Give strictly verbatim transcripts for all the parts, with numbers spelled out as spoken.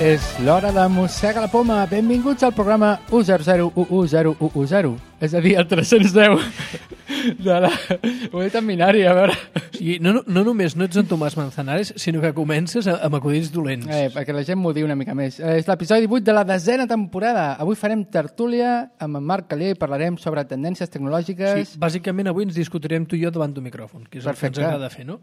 És l'hora de Mossega la Poma. Benvinguts al programa u zero zero u u zero u u zero. És a dir, el tres-cents deu de la... Ho he dit en binari, a veure... Sí, no, no, no només no ets en Tomàs Manzanares, sinó que comences amb acudits dolents. Eh, perquè la gent m'ho diu una mica més. Eh, és l'episodi divuit de la desena temporada. Avui farem tertúlia amb en Marc Calier i parlarem sobre tendències tecnològiques. Sí, bàsicament avui ens discutirem tu i jo davant d'un micròfon, que és Perfecte. El que ens agrada fer, no?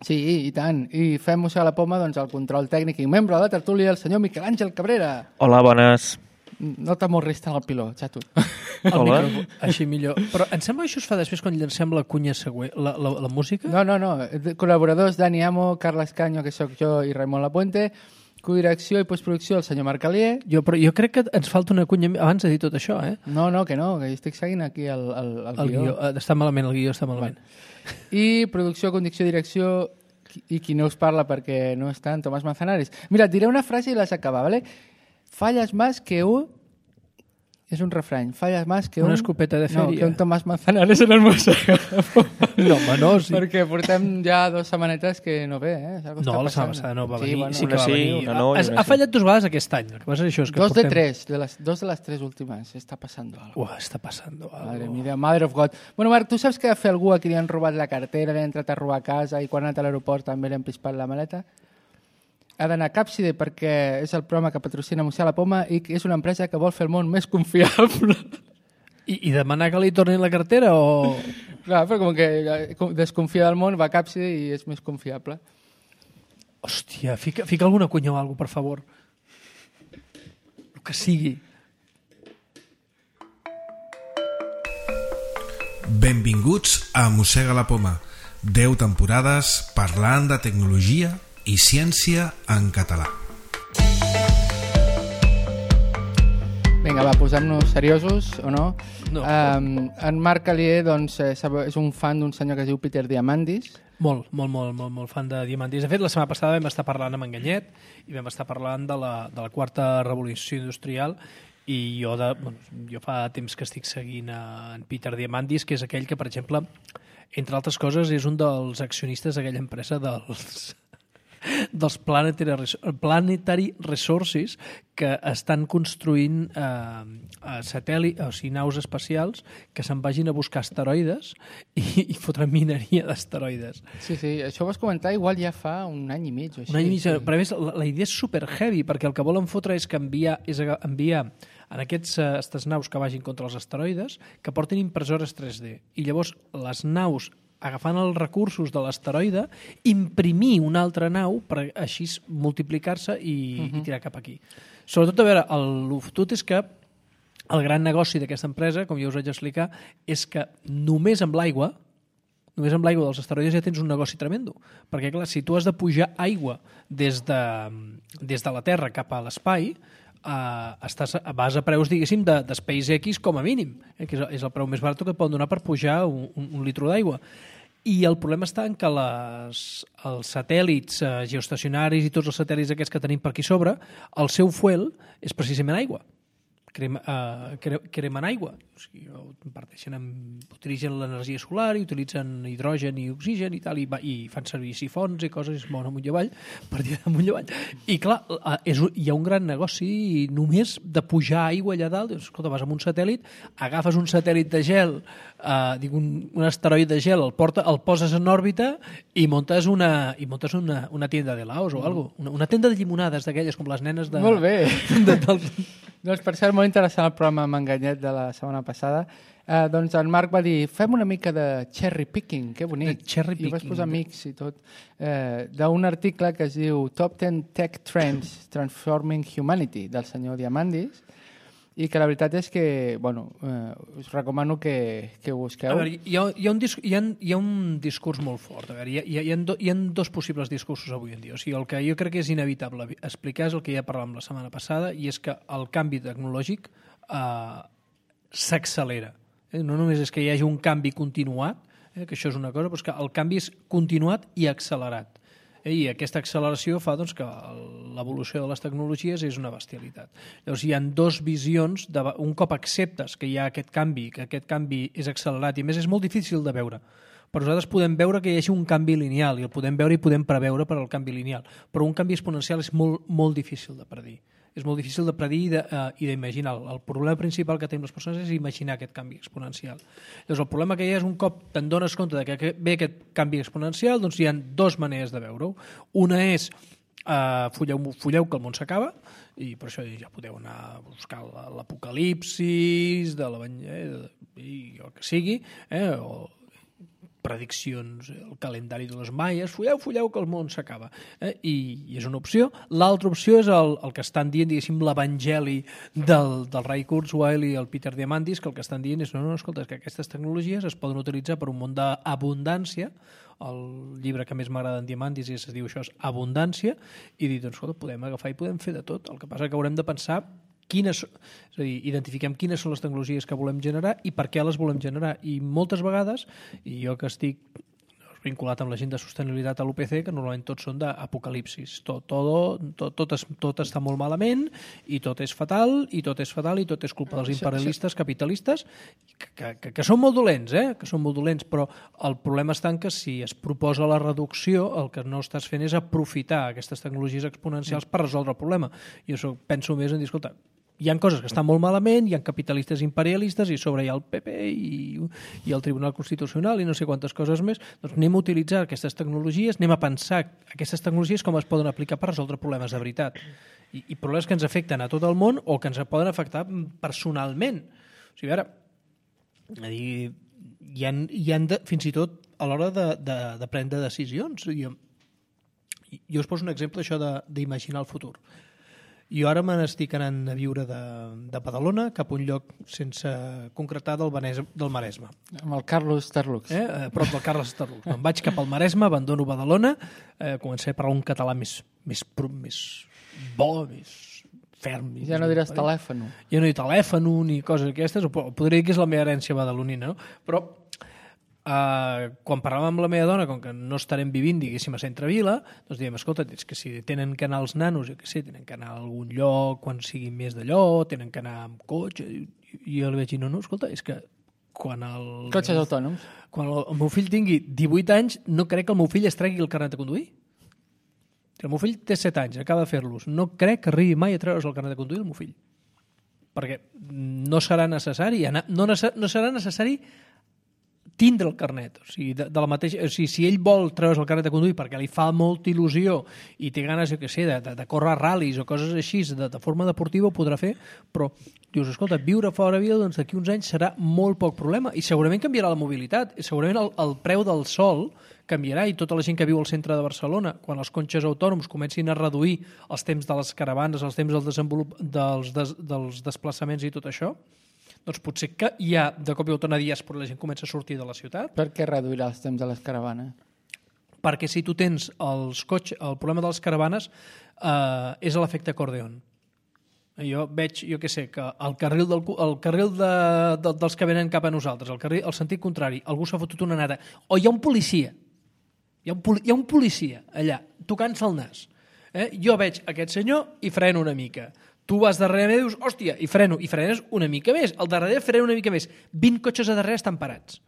Sí, i tant. I fem Mossega la Poma doncs, el control tècnic i membre de la tertúlia, el senyor Miquel Àngel Cabrera. Hola, bones. No t'amorris tant el piló, xato. El micròfon, així millor. Però em sembla que això es fa després quan llancem la cunya següent, la, la, la música? No, no, no. Col·laboradors Dani Amo, Carles Canyo, que sóc jo, i Raimon Lapuente. Codirecció i postproducció el senyor Marc Calier. Jo, però jo crec que ens falta una cunya abans de dir tot això, eh? No, no, que no, que estic seguint aquí el, el, el, el guió. guió. Està malament, el guió està malament. Bueno. I producció, condició, direcció i qui no us parla perquè no està en Tomàs Manzanares. Mira, et diré una frase i l'has acabat, ¿vale? Fallas más que un... És un refrany. Fallas más que un... Una escopeta de fèria. No, que un Tomàs Manzanares en el Mossega. No, home, no, sí. Perquè portem ja dues setmanetes que no ve, eh? No, la setmana passada no va venir. Sí, bueno, sí que va sí, venir. una no, ha, ha fallat dues vegades aquest any. El que passa és això, és que dos portem... de tres, de les, dos de les tres últimes. Està passando algo. Uah, està passando algo. Madre mía, Mother of God. Bueno, Marc, tu saps que va fer algú a qui li han robat la cartera, li han entrat a robar a casa i quan ha anat a l'aeroport també li han pispat la maleta? Ha d'anar a Càpside perquè és el programa que patrocina Mossega la Poma i que és una empresa que vol fer el món més confiable. I, i demanar que li tornin la cartera o...? Clar, però com que desconfia del món va a Càpside i és més confiable. Hòstia, fica, fica alguna cunya o alguna cosa, per favor. El que sigui. Benvinguts a Mossega la Poma. deu temporades parlant de tecnologia i ciència en català. Vinga, va, posem-nos seriosos, o no? No. Um, en Marc Calier doncs, és un fan d'un senyor que es diu Peter Diamandis. Molt, molt, molt, molt, molt fan de Diamandis. De fet, la setmana passada vam estar parlant amb Enganyet i vam estar parlant de la, de la quarta revolució industrial i jo, de, bueno, jo fa temps que estic seguint a en Peter Diamandis, que és aquell que, per exemple, entre altres coses, és un dels accionistes d'aquella empresa dels... dels Planetary, Planetary Resources que estan construint eh, satèl·lit, o sigui, naus espacials que se'n vagin a buscar asteroides i, i fotran mineria d'asteroides. Sí, sí, això ho vas comentar igual ja fa un any i mig o així. Un any i mig, sí. Però a més la, la idea és super heavy perquè el que volen fotre és que enviar, és enviar en aquests, aquestes naus que vagin contra els asteroides que portin impressores tres D i llavors les naus agafant els recursos de l'asteroide, imprimir una altra nau per així multiplicar-se i, uh-huh. i tirar cap aquí. Sobretot, a veure, el fotut és que el gran negoci d'aquesta empresa, com ja us vaig explicar, és que només amb l'aigua, només amb l'aigua dels asteroides ja tens un negoci tremendo. Perquè, clar, si tu has de pujar aigua des de, des de la Terra cap a l'espai, Uh, estàs, vas a preus, diguéssim, de, de SpaceX com a mínim, eh, que és, és el preu més barat que et poden donar per pujar un, un, un litro d'aigua. I el problema està en que les, els satèl·lits uh, geoestacionaris i tots els satèl·lits aquests que tenim per aquí sobre, el seu fuel és precisament aigua. Crema, uh, cre, cremen aigua. O sigui, parteixen amb, utilitzen l'energia solar i utilitzen hidrogen i oxigen i tal, i, i fan servir sifons i coses, es mouen amunt i avall, per dir amunt i avall. I clar, uh, és, hi ha un gran negoci només de pujar aigua allà dalt. Dius, escolta, vas amb un satèl·lit, agafes un satèl·lit de gel, uh, dic, un, un asteroid de gel, el, porta, el poses en òrbita i montes una, i montes una, una tienda de laos o alguna cosa. Una, una tenda de llimonades d'aquelles, com les nenes de... Molt bé. De, dels... Doncs per cert, molt interessant el programa amb Enganyet de la setmana passada. Eh, doncs en Marc va dir, fem una mica de cherry picking, que bonic. De cherry picking. I vas posar mix i tot. Eh, d'un article que es diu Top ten Tech Trends Transforming Humanity, del senyor Diamandis, i que la veritat és que, bueno, eh, us recomano que, que ho busqueu. A veure, hi ha, hi, ha un disc, hi, ha, hi ha un discurs molt fort. A veure, hi, ha, hi, ha do, hi ha dos possibles discursos avui en dia. O sigui, el que jo crec que és inevitable explicar és el que ja parlàvem la setmana passada, i és que el canvi tecnològic eh, s'accelera. Eh? No només és que hi hagi un canvi continuat, eh, que això és una cosa, però és que el canvi és continuat i accelerat. I aquesta acceleració fa doncs, que l'evolució de les tecnologies és una bestialitat. Llavors hi ha dues visions, de, un cop acceptes que hi ha aquest canvi, que aquest canvi és accelerat i a més és molt difícil de veure, però nosaltres podem veure que hi hagi un canvi lineal, i el podem veure i podem preveure per al canvi lineal. Però un canvi exponencial és molt, molt difícil de predir. És molt difícil de predir i de, uh, i d'imaginar. El problema principal que tenim les persones és imaginar aquest canvi exponencial. Llavors, el problema que hi ha és un cop te'n dones compte de que ve aquest canvi exponencial, doncs hi ha dues maneres de veure-ho. Una és uh, fulleu, fulleu que el món s'acaba, i per això ja podeu anar a buscar l'apocalipsis, de la, eh, i el que sigui, eh, o prediccions, el calendari de les maies, fulleu, fulleu, que el món s'acaba. Eh? I, I és una opció. L'altra opció és el, el que estan dient, diguéssim, l'evangeli del, del Ray Kurzweil i el Peter Diamandis, que el que estan dient és, no, no, escolta, que aquestes tecnologies es poden utilitzar per un món d'abundància. El llibre que més m'agrada en Diamandis es diu això, és Abundància, i dir, doncs, escolta, podem agafar i podem fer de tot. El que passa que haurem de pensar quines, és a dir, identifiquem quines són les tecnologies que volem generar i per què les volem generar. I moltes vegades, i jo que estic vinculat amb la gent de sostenibilitat a l'U P C, que normalment tots són d'apocalipsis. Tot, tot, tot, tot, es, tot està molt malament i tot és fatal, i tot és fatal, i tot és culpa dels imperialistes capitalistes, que, que, que són molt dolents, eh? que són molt dolents, però el problema està en que si es proposa la reducció, el que no estàs fent és aprofitar aquestes tecnologies exponencials per resoldre el problema. Jo penso més en dir, escolta, hi ha coses que estan molt malament, hi ha capitalistes imperialistes i sobre hi ha el P P i, i el Tribunal Constitucional i no sé quantes coses més. Doncs anem a utilitzar aquestes tecnologies, anem a pensar aquestes tecnologies com es poden aplicar per resoldre problemes de veritat. I, i problemes que ens afecten a tot el món o que ens poden afectar personalment. O sigui, ara, dir, hi ha, hi ha de, fins i tot a l'hora de, de, de prendre decisions. Jo, jo us poso un exemple això d'imaginar el futur. Jo ara me n'estic anant a viure de, de Badalona cap a un lloc sense concretar del, Benes, del Maresme. Amb el Carlos Terlux. Eh? A prop del Carlos Terlux. Me'n vaig cap al Maresme, abandono Badalona, eh, començaré a parlar un català més, més, més bo, més ferm. Més, ja no diràs eh? telèfon. Ja no hi telèfon ni coses aquestes, podria dir que és la meva herència badalonina, no? Però Uh, quan parlàvem amb la meva dona, com que no estarem vivint, diguéssim, a Centrevila, doncs diem, escolta, és que si tenen que anar els nanos, jo què sé, tenen que anar a algun lloc quan sigui més d'allò, tenen que anar amb cotxe, i jo li vaig dir, no, no, escolta, és que quan el... Cotxes autònoms. Quan el, el meu fill tingui divuit anys, no crec que el meu fill es tregui el carnet de conduir. El meu fill té set anys, acaba de fer-los. No crec que arribi mai a treure's el carnet de conduir el meu fill. Perquè no serà necessari, anar, no, no serà necessari tindre el carnet. O sigui, de, de la mateixa, o sigui, si ell vol treure's el carnet de conduir perquè li fa molta il·lusió i té ganes, jo què sé, de, de, de córrer ral·lis o coses així, de, de forma deportiva ho podrà fer, però dius, escolta, viure fora de vida, doncs d'aquí uns anys serà molt poc problema i segurament canviarà la mobilitat, i segurament el, el preu del sol canviarà i tota la gent que viu al centre de Barcelona, quan els cotxes autònoms comencin a reduir els temps de les caravanes, els temps del desenvolup... dels, des, dels desplaçaments i tot això, doncs potser que ja de cop i volta una diàspora la gent comença a sortir de la ciutat. Per què reduirà els temps de les caravanes? Perquè si tu tens els cotxes, el problema de les caravanes eh, és l'efecte acordeon. Jo veig, jo què sé, que el carril, del, el carril de, de, dels que venen cap a nosaltres, el carril, el sentit contrari, algú s'ha fotut una nata, o hi ha un policia, hi ha un, hi ha un policia allà, tocant-se el nas. Eh? Jo veig aquest senyor i freno una mica. Tu vas darrere i dius, hòstia, i freno, i frenes una mica més. Al darrere freno una mica més. vint cotxes a darrere estan parats.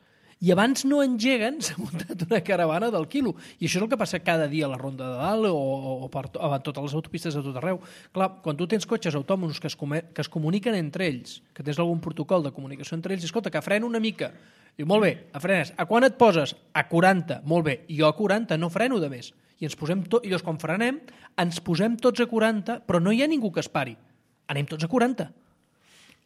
I abans no engeguen, s'ha muntat una caravana del quilo. I això és el que passa cada dia a la Ronda de Dalt o, o per to, a totes les autopistes de tot arreu. Clar, quan tu tens cotxes autònoms que es, que es comuniquen entre ells, que tens algun protocol de comunicació entre ells, escolta, que freno una mica. Diu, molt bé, a frenes. A quan et poses? A quaranta. Molt bé, jo a quaranta no freno de més. I ens posem tot, i llavors quan frenem, ens posem tots a quaranta, però no hi ha ningú que es pari. Anem tots a quaranta.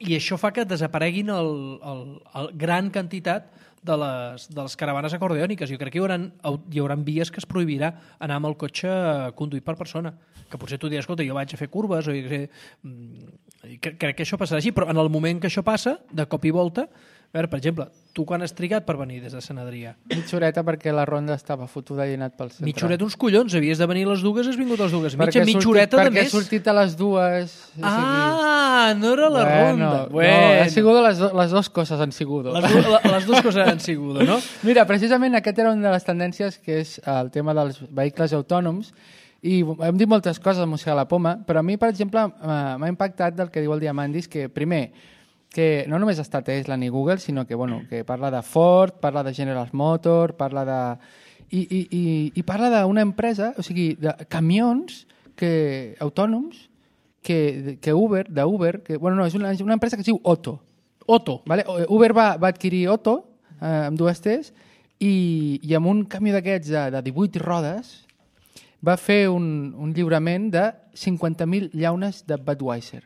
I això fa que desapareguin el, el, el gran quantitat de les, de les caravanes acordeòniques. Jo crec que hi haurà, hi haurà vies que es prohibirà anar amb el cotxe conduït per persona. Que potser tu diràs, escolta, jo vaig a fer curves, o jo sé, crec que això passarà així, però en el moment que això passa, de cop i volta, a veure, per exemple, tu quan has trigat per venir des de Sant Adrià? Mitja horeta perquè la ronda estava fotuda i he anat pel centre. Mitja horeta uns collons, havies de venir a les dues, has vingut a les dues. Mitja, mitja sortit, horeta de perquè més. Perquè he sortit a les dues. Ah, no era la bueno, ronda. Bueno. No, ha sigut les, les dues coses han sigut. Les, du les dues coses han sigut, no? Mira, precisament aquest era una de les tendències que és el tema dels vehicles autònoms i hem dit moltes coses a Música a la Poma, però a mi, per exemple, m'ha impactat del que diu el Diamandis, que primer, que no només està Tesla ni Google, sinó que, bueno, que parla de Ford, parla de General Motors, parla de... I, i, i, i parla d'una empresa, o sigui, de camions que, autònoms que, que Uber, de Uber, que, bueno, no, és una, una empresa que es diu Otto. Otto. Vale? Uber va, va adquirir Otto, eh, amb dues T's, i, i amb un camió d'aquests de, de divuit rodes va fer un, un lliurament de cinquanta mil llaunes de Budweiser.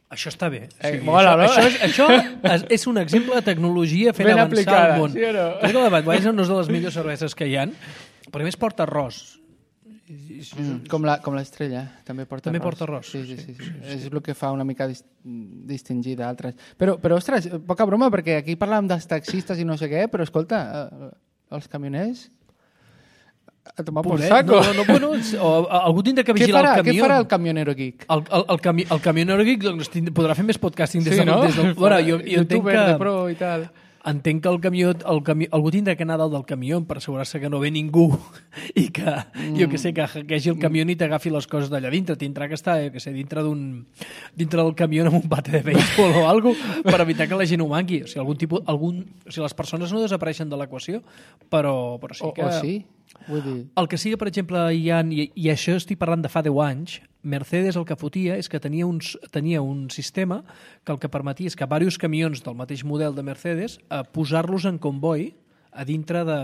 Això està bé. Eh, Sí, mola, això, no? això, és, això és, és un exemple de tecnologia fent Ben avançar aplicada, el món. sí o no? Crec que la Budweiser no és de les millors cerveses que hi ha, però a més porta arròs. Mm, com la- com l'estrella, també porta També arròs. porta arròs, Sí, sí, sí, sí, sí. És el que fa una mica dis distingir d'altres. Però, però, ostres, poca broma, perquè aquí parlàvem dels taxistes i no sé què, però escolta, eh, els camioners... A tomar por Pobret, saco. no, no, bueno, o, algú tindrà que Què vigilar farà, el què camió. farà el camionero geek? El, el, el, cami el camionero geek doncs, tind- podrà fer més podcasting des Sí, del... no? Des del bueno, jo, jo entenc Youtuber de que... pro i tal. Entenc que el camió, el camió, algú tindrà que anar dalt del camió per assegurar-se que no ve ningú i que, mm. jo que sé, que hackeagi el camió i t'agafi les coses d'allà dintre. Tindrà que estar, jo que sé, dintre d'un dintre del camió amb un bate de béisbol o alguna cosa per evitar que la gent ho manqui. O sigui, algun tipus, algun, o sigui, les persones no desapareixen de l'equació, però, però sí O, que... o sí? Vull dir... El que sí que, per exemple, hi ha, i, i això estic parlant de fa deu anys, Mercedes el que fotia és que tenia, uns, tenia un sistema que el que permetia és que diversos camions del mateix model de Mercedes eh, posar-los en comboi a dintre de,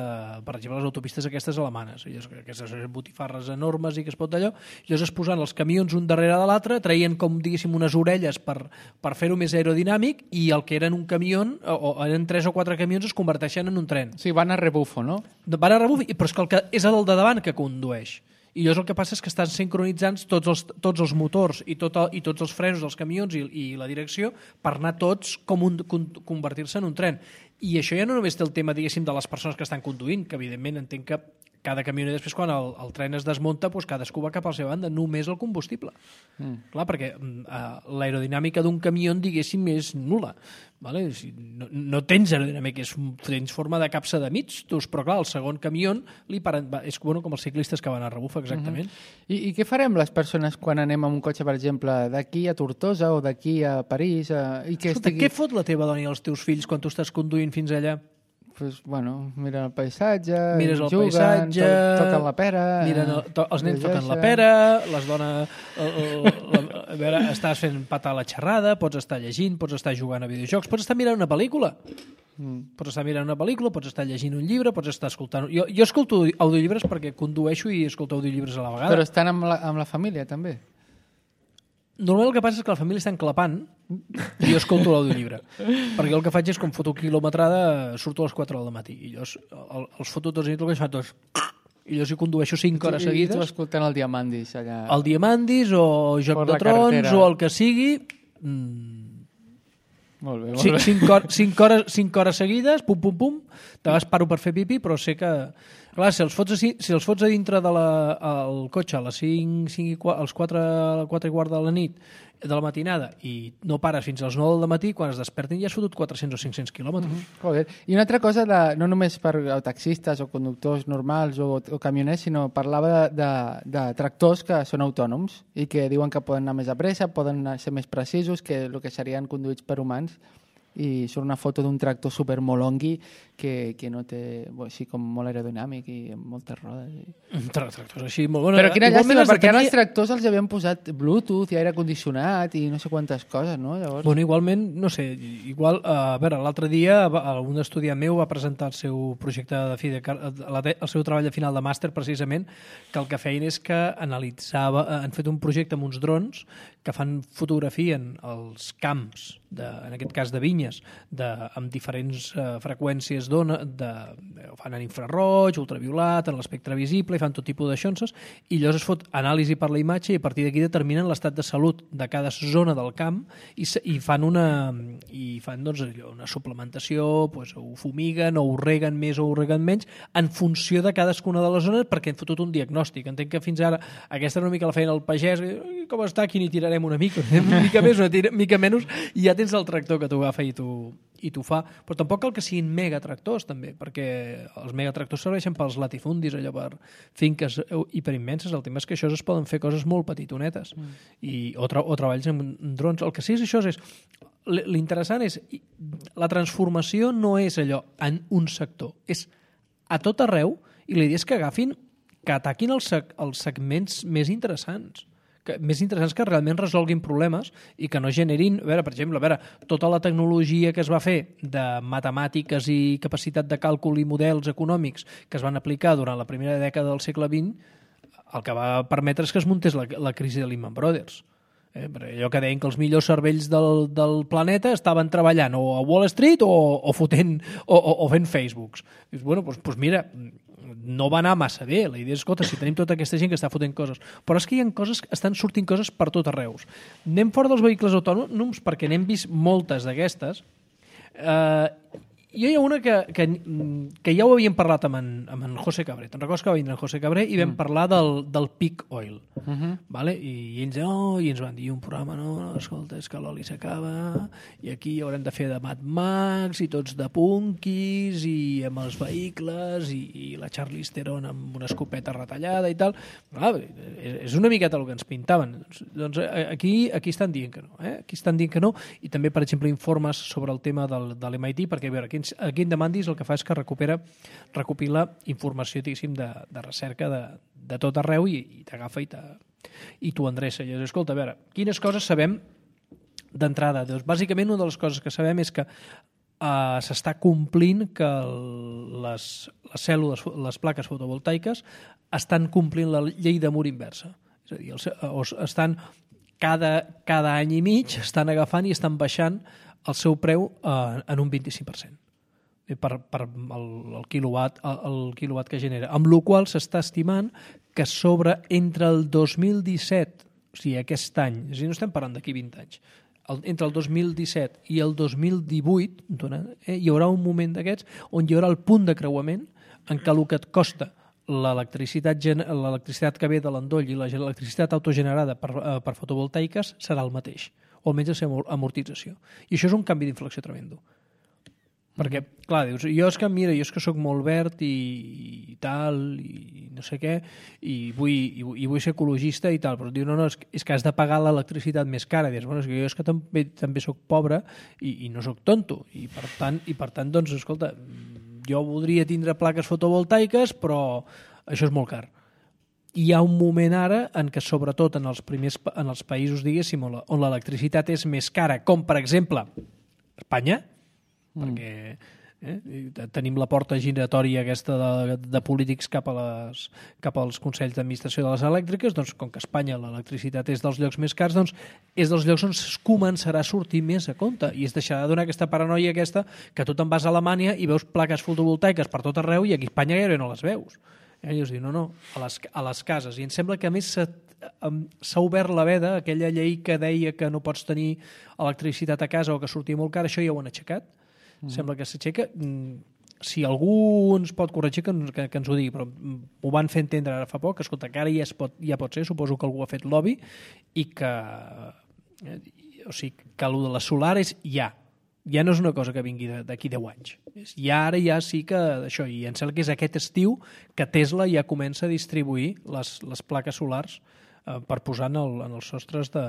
per exemple, les autopistes aquestes alemanes, aquestes botifarres enormes i que es pot d'allò, i llavors es posaven els camions un darrere de l'altre, traien com, diguéssim, unes orelles per, per fer-ho més aerodinàmic i el que eren un camió, o, o eren tres o quatre camions, es converteixen en un tren. Sí, van a rebufo, no? Van a rebuf, però és que el que és el de davant que condueix. I llavors el que passa és que estan sincronitzant tots els, tots els motors i, tot el, i tots els frenos dels camions i, i la direcció per anar tots com un, con, convertir-se en un tren. I això ja no només té el tema, diguéssim, de les persones que estan conduint, que evidentment entenc que cada camioner després quan el, el tren es desmunta doncs cadascú va cap a la seva banda, només el combustible. Mm. Clar, perquè uh, l'aerodinàmica d'un camió, diguéssim, és nul·la. Vale? Si no, no tens aerodinàmica, és, tens forma de capsa de mig, doncs, però clar, el segon camió li paren, va, és bueno, com els ciclistes que van a rebuf, exactament. Mm-hmm. I, I què farem les persones quan anem amb un cotxe, per exemple, d'aquí a Tortosa o d'aquí a París? A... I que Escolta, estigui... què fot la teva dona i els teus fills quan tu estàs conduint fins allà? Pues, bueno, miren el paisatge, Mires el juguen, paisatge, to toquen la pera... Miren el, to, els nens llegeixen. toquen la pera, les dones... El, el, la, a veure, estàs fent patar la xerrada, pots estar llegint, pots estar jugant a videojocs, pots estar mirant una pel·lícula. Mm. Pots estar mirant una pel·lícula, pots estar llegint un llibre, pots estar escoltant... Jo, jo escolto audiollibres perquè condueixo i escolto audiollibres a la vegada. Però estan amb la, amb la família, també. Normalment el que passa és que la família està enclapant i jo escolto l'audiollibre. Perquè el que faig és, com foto quilometrada, surto a les quatre del matí. I llavors el, els foto tots i tot el que es fa tots... I llavors hi condueixo cinc hores I, seguides. I tu escoltant el Diamandis allà... El Diamandis o Joc Per de la Trons carretera. o el que sigui... Mm, Molt bé, molt cinc, bé. cinc, hor, cinc, hores, cinc hores seguides, pum, pum, pum, de vegades paro per fer pipí, però sé que... Clar, si els fots a, si els fots a dintre del de cotxe a les cinc, cinc i quatre, als quatre, quatre i quart de la nit, de la matinada, i no pares fins als nou del matí, quan es despertin ja has fotut quatre-cents o cinc-cents quilòmetres. Mm -hmm. Joder. I una altra cosa, de, no només per taxistes o conductors normals o, o camioners, sinó parlava de, de, de tractors que són autònoms i que diuen que poden anar més a pressa, poden ser més precisos que el que serien conduïts per humans. I surt una foto d'un tractor super molongui que, que no té, bueno, així com molt aerodinàmic i amb moltes rodes. I... Tractors així, molt bona. Però quina Igualment llàstima, has de perquè ara tenir- els tractors els havien posat Bluetooth i aire condicionat i no sé quantes coses, no? Llavors... Bueno, igualment, no sé, igual, uh, a veure, l'altre dia va- un estudiant meu va presentar el seu projecte de fi de, car- la te- el seu treball de final de màster, precisament, que el que feien és que analitzava, eh, han fet un projecte amb uns drons que fan fotografien els camps, de, en aquest cas de vinyes, de, amb diferents uh, freqüències d'ona, de, ho fan en infraroig, ultraviolat, en l'espectre visible, i fan tot tipus de xonses, i llavors es fot anàlisi per la imatge i a partir d'aquí determinen l'estat de salut de cada zona del camp i, se- i fan una i fan doncs, allò, una suplementació, doncs, ho fumiguen o ho reguen més o ho reguen menys en funció de cadascuna de les zones perquè han fotut un diagnòstic. Entenc que fins ara aquesta era una mica la feina del pagès, "Ai, com està, aquí n'hi tirarem una mica, una mica més, una tira, mica menys, i ja tens el tractor que t'ho agafa i t'ho i t'ho fa, però tampoc cal que siguin megatractors també, perquè els megatractors serveixen pels latifundis, allò per finques hiperimmenses. El tema és que això es poden fer coses molt petitonetes mm. i, o, tra o treballs amb drons. El que sí és això és l'interessant és la transformació no és allò en un sector, és a tot arreu, i la idea és que agafin, que ataquin els, seg els segments més interessants, que, més interessants que realment resolguin problemes i que no generin, a veure, per exemple, a veure, tota la tecnologia que es va fer de matemàtiques i capacitat de càlcul i models econòmics que es van aplicar durant la primera dècada del segle vint, el que va permetre és que es muntés la, la crisi de Lehman Brothers. Eh, allò que deien que els millors cervells del, del planeta estaven treballant o a Wall Street o, o, fotent, o, o, o fent Facebooks. Dius, bueno, doncs, doncs mira, no va anar massa bé. La idea és, escolta, si tenim tota aquesta gent que està fotent coses. Però és que hi ha coses, estan sortint coses per tot arreu. Anem fora dels vehicles autònoms perquè n'hem vist moltes d'aquestes. Eh, jo hi ha una que, que, que ja ho havíem parlat amb en, amb en José Cabré. Te'n recordes que va vindre en José Cabré i vam mm. parlar del, del peak oil. Uh -huh. Vale? I, i, ens, oh, i ens van dir un programa, no, no escolta, és que l'oli s'acaba i aquí haurem de fer de Mad Max i tots de punkis i amb els vehicles i, i la Charlize Theron amb una escopeta retallada i tal. Ah, és una miqueta el que ens pintaven. Doncs aquí, aquí estan dient que no. Eh? Aquí estan dient que no i també, per exemple, informes sobre el tema del, de l'M I T, perquè a veure, aquí aquí en Demandis el que fa és que recupera, recopila informació, diguéssim, de, de recerca de, de tot arreu i, i t'agafa i, i t'ho endreça. I dius, escolta, a veure, quines coses sabem d'entrada? Doncs, bàsicament, una de les coses que sabem és que uh, s'està complint que el, les, les cèl·lules, les plaques fotovoltaiques estan complint la llei de mur inversa. És a dir, els, els, estan cada, cada any i mig estan agafant i estan baixant el seu preu uh, en un vint-i-cinc per cent. Per, per el, el, quilowatt, el, el quilowatt que genera. Amb la qual s'està estimant que sobre entre el dos mil disset, o sigui, aquest any, és a dir, no estem parlant d'aquí vint anys, el, entre el dos mil disset i el dos mil divuit eh, hi haurà un moment d'aquests on hi haurà el punt de creuament en què el que et costa l'electricitat l'electricitat que ve de l'endoll i l'electricitat autogenerada per, eh, per fotovoltaiques serà el mateix, o almenys la seva amortització. I això és un canvi d'inflexió tremendo. Perquè, clar, dius, jo és que, mira, jo és que sóc molt verd i, i tal, i no sé què, i vull, i, i vull ser ecologista i tal, però diu, no, no, és que, és que has de pagar l'electricitat més cara. I dius, bueno, és que jo és que també, també sóc pobre i, i no sóc tonto. I per tant, i per tant, doncs, escolta, jo voldria tindre plaques fotovoltaiques, però això és molt car. Hi ha un moment ara en què, sobretot en els primers en els països, diguéssim, on l'electricitat és més cara, com, per exemple, Espanya, perquè eh, tenim la porta giratòria aquesta de, de polítics cap, a les, cap als consells d'administració de les elèctriques, doncs com que a Espanya l'electricitat és dels llocs més cars, doncs és dels llocs on es començarà a sortir més a compte i es deixarà de donar aquesta paranoia aquesta que tu te'n vas a Alemanya i veus plaques fotovoltaiques per tot arreu i aquí a Espanya gairebé no les veus. Eh? I us diu, no, no, a les, a les cases. I em sembla que a més s'ha obert la veda, aquella llei que deia que no pots tenir electricitat a casa o que sortia molt car, això ja ho han aixecat. Mm. Sembla que s'aixeca. Si algú ens pot corregir, que, que, que ens ho digui, però ho van fer entendre ara fa poc, escolta, que ara ja, es pot, ja pot ser, suposo que algú ha fet lobby, i que, eh, o sigui, que el de la solar és ja. Ja no és una cosa que vingui d'aquí deu anys. Ja ara ja sí que això, i em sembla que és aquest estiu que Tesla ja comença a distribuir les, les plaques solars eh, per posar en, el, en els sostres de...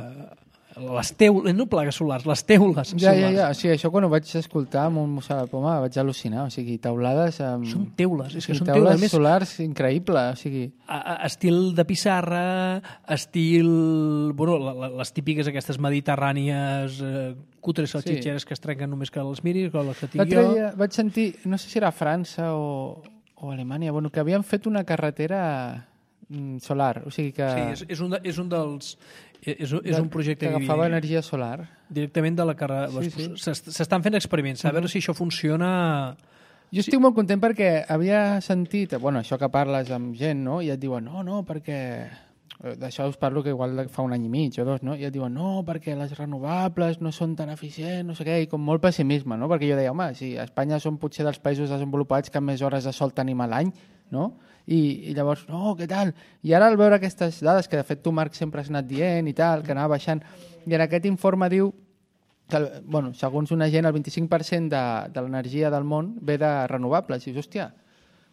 les teules, no plaques solars, les teules ja, solars. Ja, ja, o sigui, això quan ho vaig escoltar amb un Mossà de Poma vaig al·lucinar, o sigui, teulades amb... Són teules, és que sí, són teules, teules més... solars increïble, o sigui... A, a, estil de pissarra, estil... Bueno, la, la, les típiques aquestes mediterrànies eh, cutres salxitxeres sí. que es trenquen només que les miris, que les que tinc jo... Dia vaig sentir, no sé si era França o, o Alemanya, bueno, que havien fet una carretera solar, o sigui que... Sí, és, és, un, de, és un dels... És, és un projecte que agafava energia solar. Directament de la carrera. Sí, sí. S'estan fent experiments, a veure si això funciona... Jo estic molt content perquè havia sentit, bueno, això que parles amb gent, no? I et diuen, no, no, perquè... D'això us parlo que igual fa un any i mig o dos, no? I et diuen, no, perquè les renovables no són tan eficients, no sé què, i com molt pessimisme, no? Perquè jo deia, home, si a Espanya som potser dels països desenvolupats que més hores de sol tenim a l'any, no? I, i llavors, no, què tal? I ara al veure aquestes dades, que de fet tu, Marc, sempre has anat dient i tal, que anava baixant, i en aquest informe diu que, bueno, segons una gent, el vint-i-cinc per cent de, de l'energia del món ve de renovables. I dius, hòstia,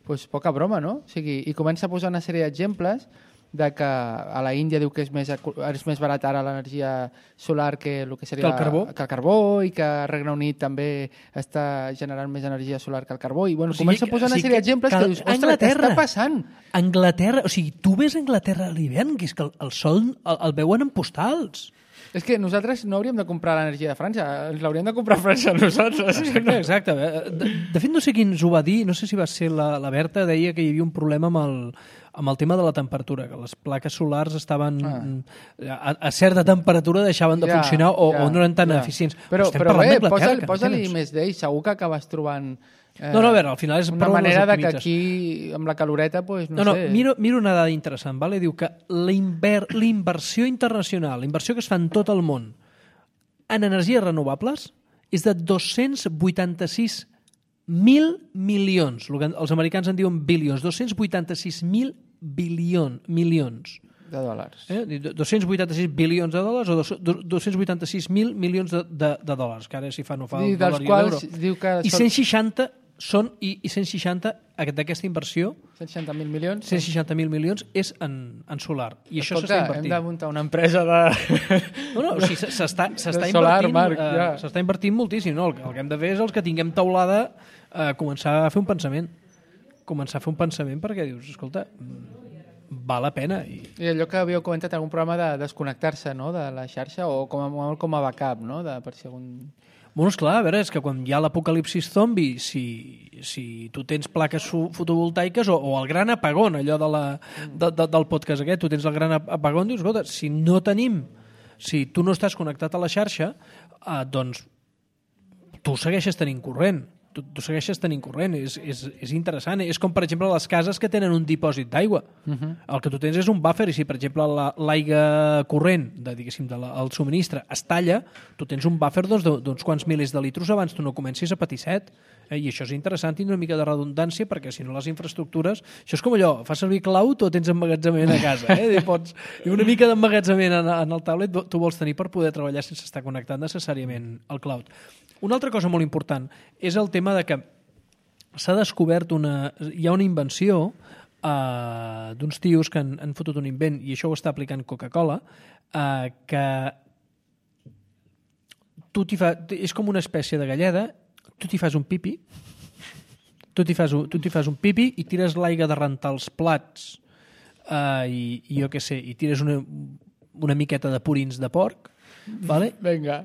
doncs poca broma, no? O sigui, i comença a posar una sèrie d'exemples de que a la Índia diu que és més, és més barat ara l'energia solar que el que seria que el carbó. que el carbó i que el Regne Unit també està generant més energia solar que el carbó i bueno, O sigui, comença a posar o una sigui sèrie que- d'exemples que que, dius, ostres, què Anglaterra- està passant? Anglaterra, o sigui, tu ves Anglaterra a l'hivern, que és que el, el sol el, el veuen en postals. És que nosaltres no hauríem de comprar l'energia de França, ens l'hauríem de comprar a França nosaltres. Exacte, exacte. De, de fet, no sé qui ens ho va dir, no sé si va ser la, la Berta, deia que hi havia un problema amb el, amb el tema de la temperatura, que les plaques solars estaven Ah. a, a certa temperatura deixaven de Ja, funcionar o, ja, o no eren tan ja. eficients. Però, estem però parlant bé, d'Anglaterra, posa-li que no posa tens. més d'ell, segur que acabes trobant eh, No, no, a veure, al final és una prou manera de que optimitzes. aquí, amb la caloreta, pues, no, No, no, sé... miro, miro una dada interessant, vale? Diu que la inver- la inversió internacional, la inversió que es fa en tot el món en energies renovables és de dos-cents vuitanta-sis mil milions. El que els americans en diuen bilions. dos-cents vuitanta-sis mil bilions, milions. de dòlars. Eh? dos-cents vuitanta-sis bilions de dòlars o dos- dos-cents vuitanta-sis mil milions de, de, de dòlars, que ara si fa no fa I el dels dòlar i quals l'euro. diu que I són cent seixanta són, i, i cent seixanta d'aquesta inversió cent seixanta mil milions. cent seixanta mil milions és en, en solar. I això Escolta, s'està hem invertint. de muntar una empresa de... No, no, o sigui, s'està s'està De solar, invertint, Marc, eh, ja. s'està invertint moltíssim. No? El, que- el que hem de fer és els que tinguem taulada eh, començar a fer un pensament. Començar a fer un pensament perquè dius, escolta, mm, val la pena. I, I allò que havíeu comentat en algun programa de desconnectar-se no? de la xarxa o com a, com a backup, no? de, per si algun... Bueno, esclar, a veure, és que quan hi ha l'apocalipsis zombi, si, si tu tens plaques fo- fotovoltaiques o, o el gran apagón, allò de la, de, de, del podcast aquest, tu tens el gran ap- apagón, dius, escolta, si no tenim, si tu no estàs connectat a la xarxa, eh, doncs tu segueixes tenint corrent. Tu, tu segueixes tenint corrent, és, és, és interessant. És com, per exemple, les cases que tenen un dipòsit d'aigua. Uh -huh. El que tu tens és un buffer i si, per exemple, la- l'aigua corrent, de, diguéssim, de la, el subministre es talla, tu tens un buffer doncs, d'uns doncs, quants milers de litros abans tu no comencis a patir set. Eh? I això és interessant, tindre una mica de redundància, perquè si no les infraestructures... Això és com allò, fas servir cloud o tens emmagatzament a casa. Eh? I pots, i una mica d'emmagatzament en, en el tablet tu vols tenir per poder treballar sense estar connectat necessàriament al cloud. Una altra cosa molt important és el tema de que s'ha descobert una... Hi ha una invenció eh, d'uns tios que han, han fotut un invent, i això ho està aplicant Coca-Cola, eh, que tu t'hi fa, és com una espècie de galleda, tu t'hi fas un pipi, tu t'hi fas, un, tu t'hi fas un pipi i tires l'aigua de rentar els plats eh, i, i jo què sé, i tires una, una miqueta de purins de porc, vale? Vinga.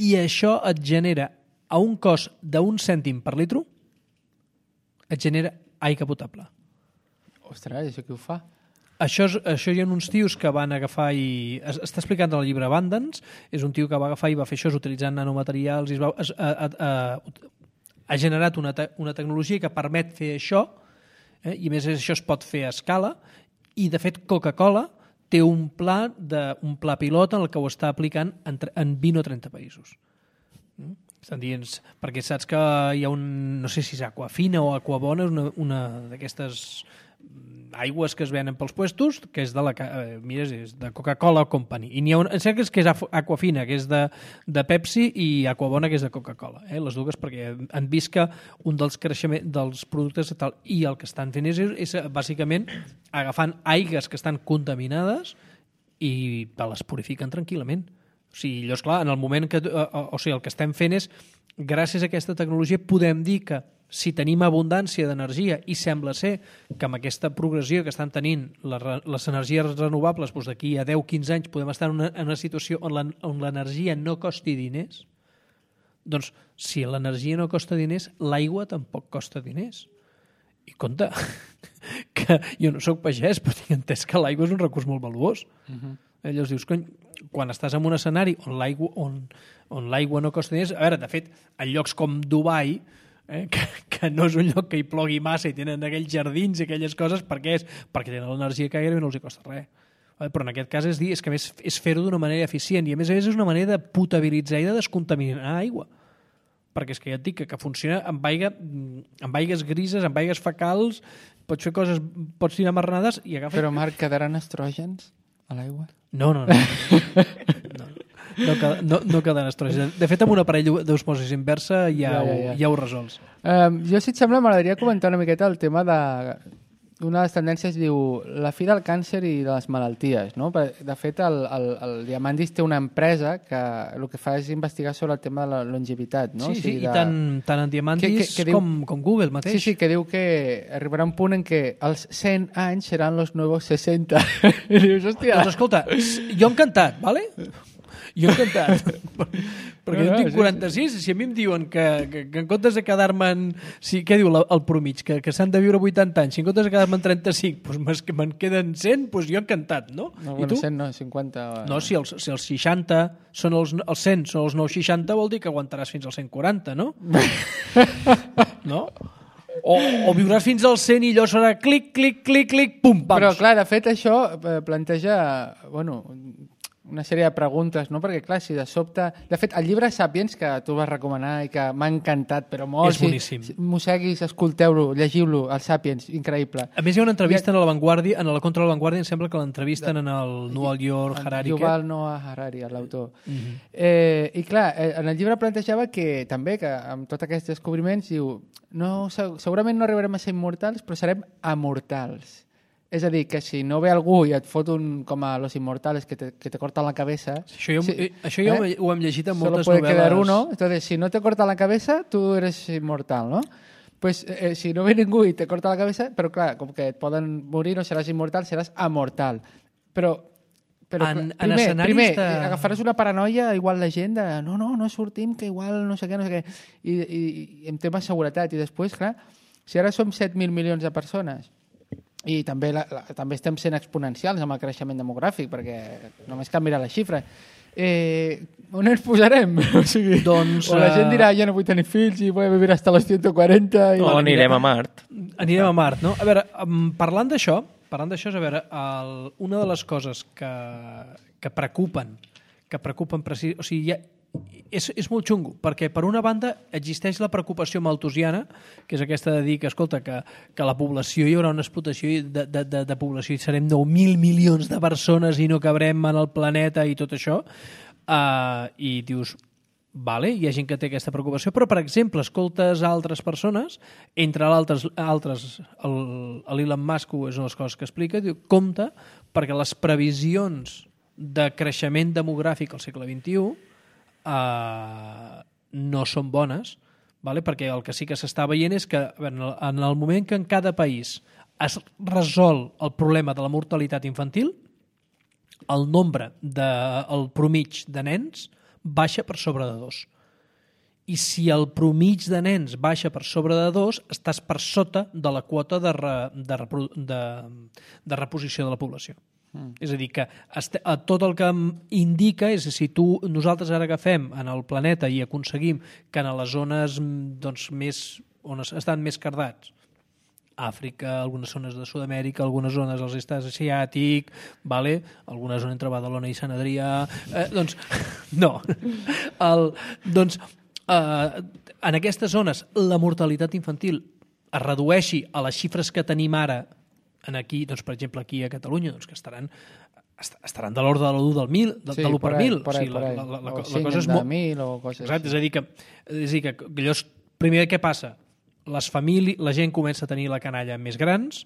I això et genera, a un cost d'un cèntim per litro, et genera aigua potable. Ostres, això qui ho fa? Això, és, això hi ha uns tios que van agafar i... Es, està explicant en el llibre Abundance, és un tio que va agafar i va fer això utilitzant nanomaterials i es va, es, a, a, a, ha generat una, te, una tecnologia que permet fer això, eh? I a més això es pot fer a escala, i de fet Coca-Cola té un pla, de, un pla pilot en el que ho està aplicant en, en vint o trenta països. Mm? Estan dient, perquè saps que hi ha un, no sé si és Aquafina o Aquabona, una, una d'aquestes aigües que es venen pels puestos, que és de la eh, mira, és de Coca-Cola Company. I n'hi ha una, em sembla que és, que és Aquafina, que és de, de Pepsi, i Aquabona, que és de Coca-Cola. Eh? Les dues, perquè han vist que un dels creixements dels productes tal, i el que estan fent és, és bàsicament agafant aigues que estan contaminades i les purifiquen tranquil·lament. O sigui, llavors, clar, en el moment que... Eh, o sigui, el que estem fent és, gràcies a aquesta tecnologia, podem dir que si tenim abundància d'energia i sembla ser que amb aquesta progressió que estan tenint les, les energies renovables doncs d'aquí a deu a quinze anys podem estar en una, en una situació on la, on l'energia no costi diners, doncs si l'energia no costa diners, l'aigua tampoc costa diners. I compte, que jo no soc pagès, però tinc entès que l'aigua és un recurs molt valuós. Uh-huh. Llavors dius, cony, quan estàs en un escenari on l'aigua on, on l'aigua no costa diners, a veure, de fet, en llocs com Dubai, eh, que, que no és un lloc que hi plogui massa i tenen aquells jardins i aquelles coses, per què és? Perquè tenen l'energia que gairebé no els hi costa res. Però en aquest cas és dir, és que a més és fer-ho d'una manera eficient i a més a més és una manera de potabilitzar i de descontaminar aigua. Perquè és que ja et dic que, que funciona amb, aigua, amb aigues grises, amb aigues fecals, pots fer coses, pots tirar marranades i agafar... Però, Marc, quedaran estrògens a l'aigua? No, no, no. no. No, no, no queden estrògens. De fet, amb un aparell d'osmosis inversa ja, ja, ja, ja. Ho, ja ho resols. Um, jo, si et sembla, m'agradaria comentar una miqueta el tema de una de les tendències diu la fi del càncer i de les malalties, no? De fet, el, el, el Diamandis té una empresa que el que fa és investigar sobre el tema de la longevitat, no? Sí, sí, o sigui, i de... tant, tant en Diamandis que, que, que diu... com, com Google mateix. Sí, sí, que diu que arribarà un punt en què els cent anys seran los nuevos seixanta. I dius, hòstia... Doncs escolta, jo encantat, ¿vale? Jo encantat. Perquè jo en tinc quaranta-sis, si a mi em diuen que, que, que en comptes de quedar-me en... Si, què diu la, el promig? Que, que s'han de viure vuitanta anys. Si en comptes de quedar-me en trenta-cinc doncs me'n queden cent, doncs jo encantat, no? No, I bueno, tu? cent no, cinquanta... No, si els, si els seixanta són els, els cent, són els nou seixanta, vol dir que aguantaràs fins als cent quaranta, no? No? O, o viuràs fins als cent i allò serà clic, clic, clic, clic, pum, pams. Però, clar, de fet, això planteja... Bueno, una sèrie de preguntes, no? Perquè, clar, si de sobte... De fet, el llibre Sapiens, que tu vas recomanar i que m'ha encantat, però molt... És boníssim. Si mosseguis, escolteu-lo, llegiu-lo, el Sapiens, increïble. A més, hi ha una entrevista ha... en La Vanguardia, en la Contra la Vanguardia, em sembla que l'entrevisten en el Noah York Harari. Yuval Noah Harari, l'autor. Uh -huh. eh, I, clar, en el llibre plantejava que també, que amb tots aquests descobriments, diu, no, segurament no arribarem a ser immortals, però serem amortals. És a dir, que si no ve algú i et fot un com a Los Inmortales que te, que te corta la cabeza... Això jo, si, això jo eh? ho hem llegit en moltes Solo puede novel·les. quedar uno. Entonces, si no te corta la cabeza, tú eres inmortal, ¿no? Pues eh, si no ve ningú i te corta la cabeza, però clar, com que et poden morir, no seràs immortal, seràs amortal. Però... Però en, primer, en primer de... agafaràs una paranoia, igual la gent de no, no, no sortim, que igual no sé què, no sé què, i, i, i en tema de seguretat. I després, clar, si ara som set mil milions de persones i també, la, la, també estem sent exponencials amb el creixement demogràfic, perquè només canviarà la xifra. Eh, on ens posarem? O sigui, doncs, o la gent dirà, ja no vull tenir fills i vull vivir hasta los ciento quaranta... I... No, anirem a Mart. Anirem a Mart, no? A veure, parlant d'això, parlant d'això, a veure, el, una de les coses que, que preocupen, que preocupen precis... O sigui, ja, és, és molt xungo, perquè per una banda existeix la preocupació malthusiana, que és aquesta de dir que, escolta, que, que la població, hi haurà una explotació de, de, de, de població i serem nou mil milions de persones i no cabrem en el planeta i tot això, uh, i dius, vale, hi ha gent que té aquesta preocupació, però, per exemple, escoltes altres persones, entre altres, altres l'Elon Musk és una de les coses que explica, diu, compte, perquè les previsions de creixement demogràfic al segle vint-i-u Uh, no són bones, vale? Perquè el que sí que s'està veient és que en el, en el moment que en cada país es resol el problema de la mortalitat infantil, el nombre, de, el promig de nens baixa per sobre de dos. I si el promig de nens baixa per sobre de dos, estàs per sota de la quota de, re, de, de, de reposició de la població. Mm. És a dir, que este, tot el que indica és si tu, nosaltres ara agafem en el planeta i aconseguim que en les zones doncs, més, on estan més cardats, Àfrica, algunes zones de Sud-amèrica, algunes zones dels estats asiàtic, vale? Algunes zones entre Badalona i Sant Adrià... Eh, doncs, no. El, doncs, eh, en aquestes zones la mortalitat infantil es redueixi a les xifres que tenim ara en aquí, doncs, per exemple, aquí a Catalunya, doncs, que estaran, estaran de l'ordre de l'u del mil, de, sí, de l'u per ahí, mil. Por ahí, o sigui, por ahí. La, la, la, o la cosa és molt... mil o coses Exacte, així. és a dir que, és a dir que allò és, primer, què passa? Les famílies, la gent comença a tenir la canalla més grans,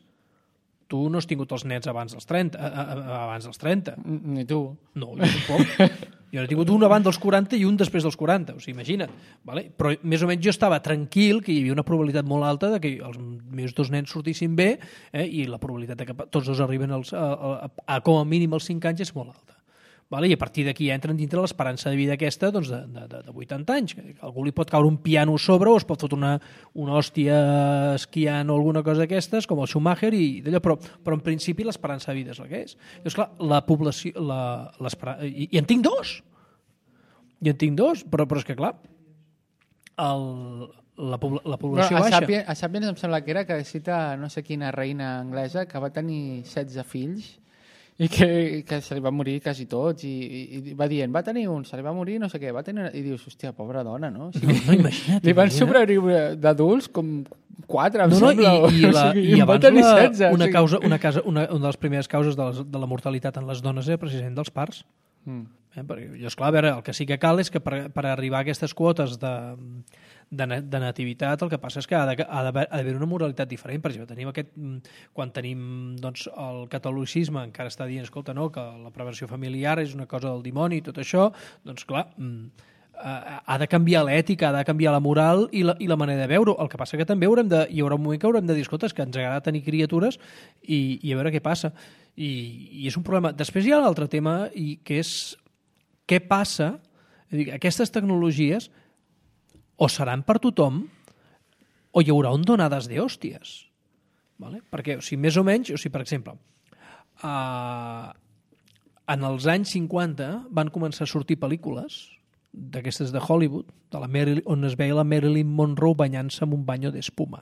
tu no has tingut els nens abans dels trenta. A, a, a, abans dels trenta. Ni tu. No, jo tampoc. Jo n'he tingut un abans dels quaranta i un després dels quaranta, o sigui, imagina't. Vale? Però més o menys jo estava tranquil que hi havia una probabilitat molt alta de que els meus dos nens sortissin bé, eh? I la probabilitat de que tots dos arriben als, a, a, a com a mínim als cinc anys és molt alta. Vale? I a partir d'aquí entren dintre l'esperança de vida aquesta doncs de, de, de vuitanta anys. Que algú li pot caure un piano a sobre o es pot fotre una, una hòstia esquiant o alguna cosa d'aquestes, com el Schumacher, i d'allò, però, però en principi l'esperança de vida és la que és. Llavors, clar, la població... La, i, I en tinc dos! I en tinc dos, però, però és que, clar, el, la, la població però a baixa. Sapiens, a Sapiens em sembla que era que cita no sé quina reina anglesa que va tenir setze fills i que, que se li va morir quasi tots i, i, i va dient, va tenir un, se li va morir no sé què, va tenir... i dius, hòstia, pobra dona, no? O sigui, no, no imagina't, li van imagina't. sobreviure d'adults com quatre, em No, no, sembla. i, i, la, o sigui, i va abans tenir la, setze, una, o sigui. causa, una, casa, una, una de les primeres causes de, les, de la mortalitat en les dones era precisament dels parts. Mm. Eh? Perquè, llavors, clar, a veure, el que sí que cal és que per, per arribar a aquestes quotes de, de, de nativitat, el que passa és que ha d'haver una moralitat diferent. Per exemple, tenim aquest, quan tenim doncs, el catolicisme, encara està dient, escolta, no, que la prevenció familiar és una cosa del dimoni i tot això, doncs clar, ha de canviar l'ètica, ha de canviar la moral i la, i la manera de veure-ho. El que passa que també haurem de, hi haurà un moment que haurem de dir, escolta, és que ens agrada tenir criatures i, i a veure què passa. I, i és un problema. Després hi ha l'altre tema, i que és què passa, dir, aquestes tecnologies o seran per tothom o hi haurà un donades de hòsties. Vale? Perquè, o sigui, més o menys, o sigui, per exemple, uh, en els anys cinquanta van començar a sortir pel·lícules d'aquestes de Hollywood, de la Marilyn, on es veia la Marilyn Monroe banyant-se amb un banyo d'espuma.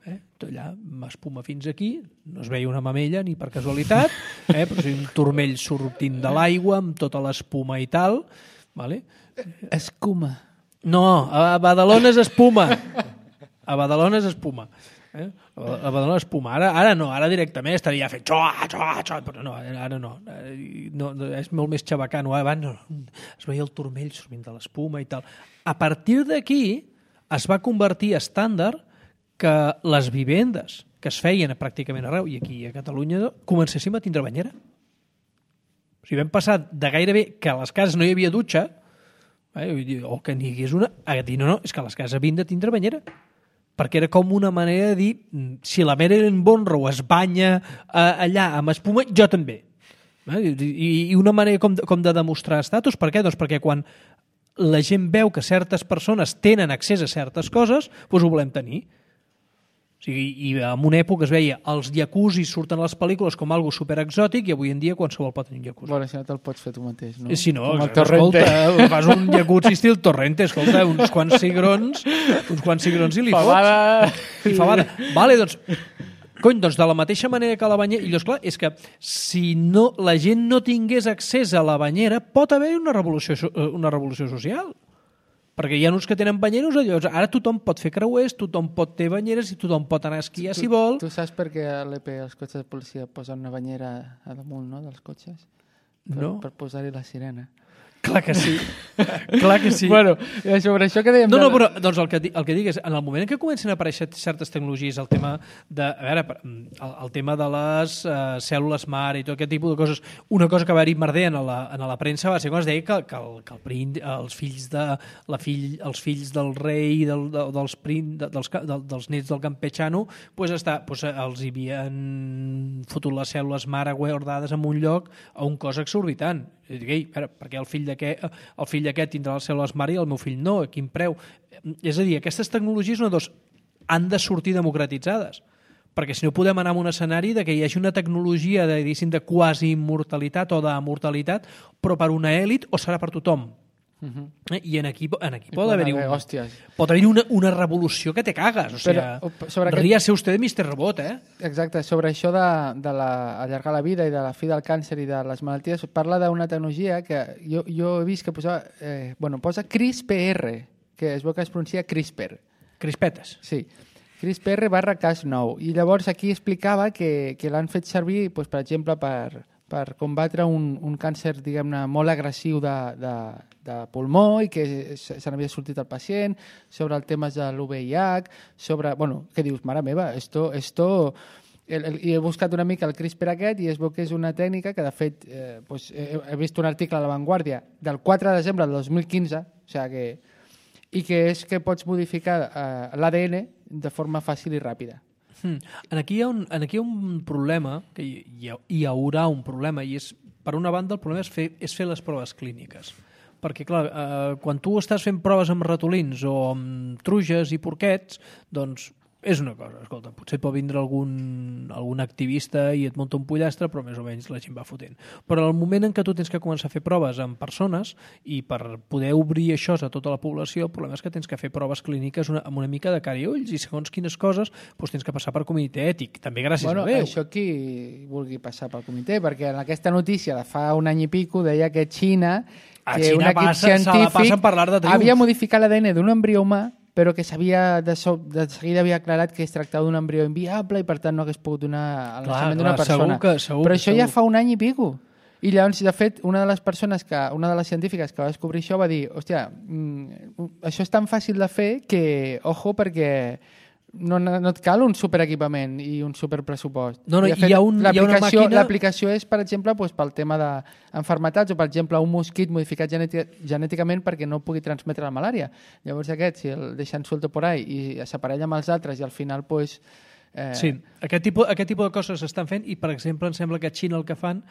Eh? Allà, espuma fins aquí, no es veia una mamella ni per casualitat, eh? Però sí un turmell sortint de l'aigua amb tota l'espuma i tal. Vale? Escuma. No, a Badalona és espuma. A Badalona és espuma. Eh? A Badalona és espuma. Ara, ara no, ara directament estaria fent xoa, xoa, xoa, però no, ara no. no, no és molt més xabacano. Abans no, es veia el turmell sortint de l'espuma i tal. A partir d'aquí es va convertir estàndard que les vivendes que es feien pràcticament arreu, i aquí a Catalunya, comencéssim a tindre banyera. O sigui, vam passar de gairebé que a les cases no hi havia dutxa, eh, o que n'hi hagués una, a dir, no, no, és que a les cases havien de tindre banyera. Perquè era com una manera de dir, si la Marilyn Monroe es banya eh, allà amb espuma, jo també. Eh? I, I una manera com de, com de demostrar estatus. Per què? Doncs perquè quan la gent veu que certes persones tenen accés a certes coses, doncs ho volem tenir. O sigui, i en una època es veia els jacuzzis surten a les pel·lícules com algo superexòtic i avui en dia qualsevol pot tenir un jacuzzi. Bueno, si no te'l pots fer tu mateix, no? Si no, com el Torrente. Escolta, fas un jacuzzi estil Torrente, escolta, uns quants cigrons, uns quants cigrons i li Favada. fots. I favada. Vale, doncs, cony, doncs de la mateixa manera que la banyera... I llavors, clar, és que si no, la gent no tingués accés a la banyera, pot haver una revolució, una revolució social. Perquè hi ha uns que tenen banyeros, llavors ara tothom pot fer creuers, tothom pot ter banyeres i tothom pot anar a esquiar si vol. Tu saps per què a l'E P els cotxes de policia posen una banyera a damunt, no?, dels cotxes? Per, no. Per posar-hi la sirena. Clar que sí. Clar que sí. Bueno, sobre això que dèiem... No, de... no, però doncs el, que, el que dic és, en el moment en què comencen a aparèixer certes tecnologies, el tema de, a veure, el, el tema de les uh, cèl·lules mare i tot aquest tipus de coses, una cosa que va haver merder en la, en la premsa va ser quan es deia que, que, el, que el prín, els fills de la fill, els fills del rei del, de, dels, prín, de, dels, de, dels nets del campechano pues està, pues, els hi havien fotut les cèl·lules mare guardades en un lloc a un cost exorbitant. I dic, ei, veure, perquè el fill d'aquest el fill d'aquest tindrà les cèl·lules mare i el meu fill no, a quin preu? És a dir, aquestes tecnologies una dos, han de sortir democratitzades, perquè si no podem anar a un escenari de que hi hagi una tecnologia de, de quasi immortalitat o d'amortalitat, però per una èlit o serà per tothom. Uh-huh. eh? I en aquí, en aquí pot haver-hi un, pot haver una, una revolució que te cagues. O sigui, ríase usted de mister Robot, eh? Exacte, sobre això de, de la, allargar la vida i de la fi del càncer i de les malalties, parla d'una tecnologia que jo, jo he vist que posava, eh, bueno, posa CRISPR, que es veu que es pronuncia CRISPR. Crispetes. Sí. CRISPR barra Cas nou. I llavors aquí explicava que, que l'han fet servir, doncs, per exemple, per, per combatre un, un càncer, diguem-ne, molt agressiu de, de, de pulmó i que se n'havia sortit el pacient, sobre el tema de l'U V I H, sobre... Bueno, què dius? Mare meva, esto... esto el, el, i he buscat una mica el CRISPR aquest i es veu que és una tècnica que, de fet, eh, pues, he, he vist un article a La Vanguardia del quatre de desembre del dos mil quinze, o sigui que... i que és que pots modificar eh, l'A D N de forma fàcil i ràpida. Hmm. En aquí hi ha un, en aquí hi ha un problema, que hi, hi, hi haurà un problema, i és, per una banda, el problema és fer, és fer les proves clíniques. Perquè, clar, eh, quan tu estàs fent proves amb ratolins o amb truges i porquets, doncs és una cosa, escolta, potser pot vindre algun, algun activista i et munta un pollastre, però més o menys la gent va fotent. Però el moment en què tu tens que començar a fer proves amb persones i per poder obrir això a tota la població, el problema és que tens que fer proves clíniques una, amb una mica de cara i ulls i segons quines coses doncs tens que passar per comitè ètic, també gràcies bueno, a Déu. Això qui vulgui passar pel comitè, perquè en aquesta notícia de fa un any i pico deia que Xina, a que Xina un equip passa, científic havia modificat l'A D N d'un embrió humà però que s'havia de, so, de seguida havia aclarat que es tractava d'un embrió inviable i per tant no hagués pogut donar al naixement d'una persona. Segur que, segur, però això segur. ja fa un any i pico. I llavors, de fet, una de les persones, que, una de les científiques que va descobrir això va dir, hòstia, mm, això és tan fàcil de fer que, ojo, perquè no, no et cal un superequipament i un superpressupost. No, no, I, de fet, hi ha, un, hi ha una màquina... L'aplicació és, per exemple, doncs, pel tema d'enfermetats o, per exemple, un mosquit modificat genèticament perquè no pugui transmetre la malària. Llavors aquest, si el deixen suelto por ahí i s'aparella amb els altres i al final, doncs, Eh... Sí, aquest tipus, aquest tipus de coses s'estan fent i, per exemple, em sembla que a Xina el que fan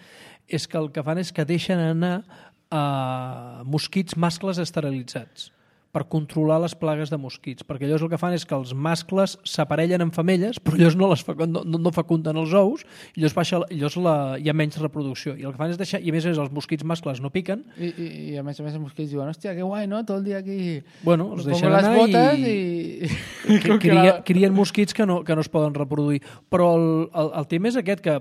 és que el que fan és que deixen anar a mosquits mascles esterilitzats per controlar les plagues de mosquits, perquè llavors el que fan és que els mascles s'aparellen amb femelles, però llavors no, les fa, no, no fecunden els ous, i llavors, baixa, llavors la, hi ha menys reproducció. I el que fan és deixar, i a més a més els mosquits mascles no piquen. I, i, i a més a més els mosquits diuen, hòstia, que guai, no? Tot el dia aquí... Bueno, els deixen les anar botes i... i... i... Crien, crien mosquits que no, que no es poden reproduir. Però el, el, el tema és aquest, que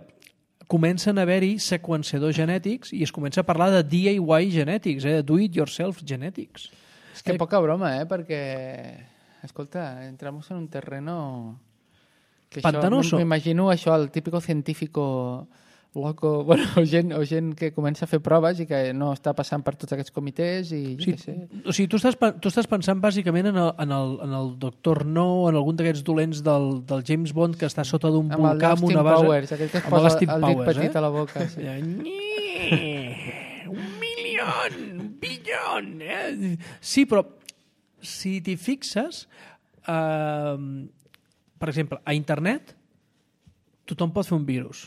comencen a haver-hi seqüenciadors genètics i es comença a parlar de D I Y genètics, eh? Do it yourself genètics. És que poca broma, eh? Perquè, escolta, entramos en un terreno... Que pantanoso. M'imagino això, el típico científico loco, bueno, o gent, o gent que comença a fer proves i que no està passant per tots aquests comitès i jo sí, què sé. O sigui, tu estàs, tu estàs pensant bàsicament en el, en el, en el doctor No, en algun d'aquests dolents del, del James Bond que està sota d'un volcà amb una base... Powers, aquell que es posa el dit Powers, petit eh? a la boca. Sí. Un milió, un billón... Eh? Sí, però si t'hi fixes, eh, per exemple, a internet tothom pot fer un virus,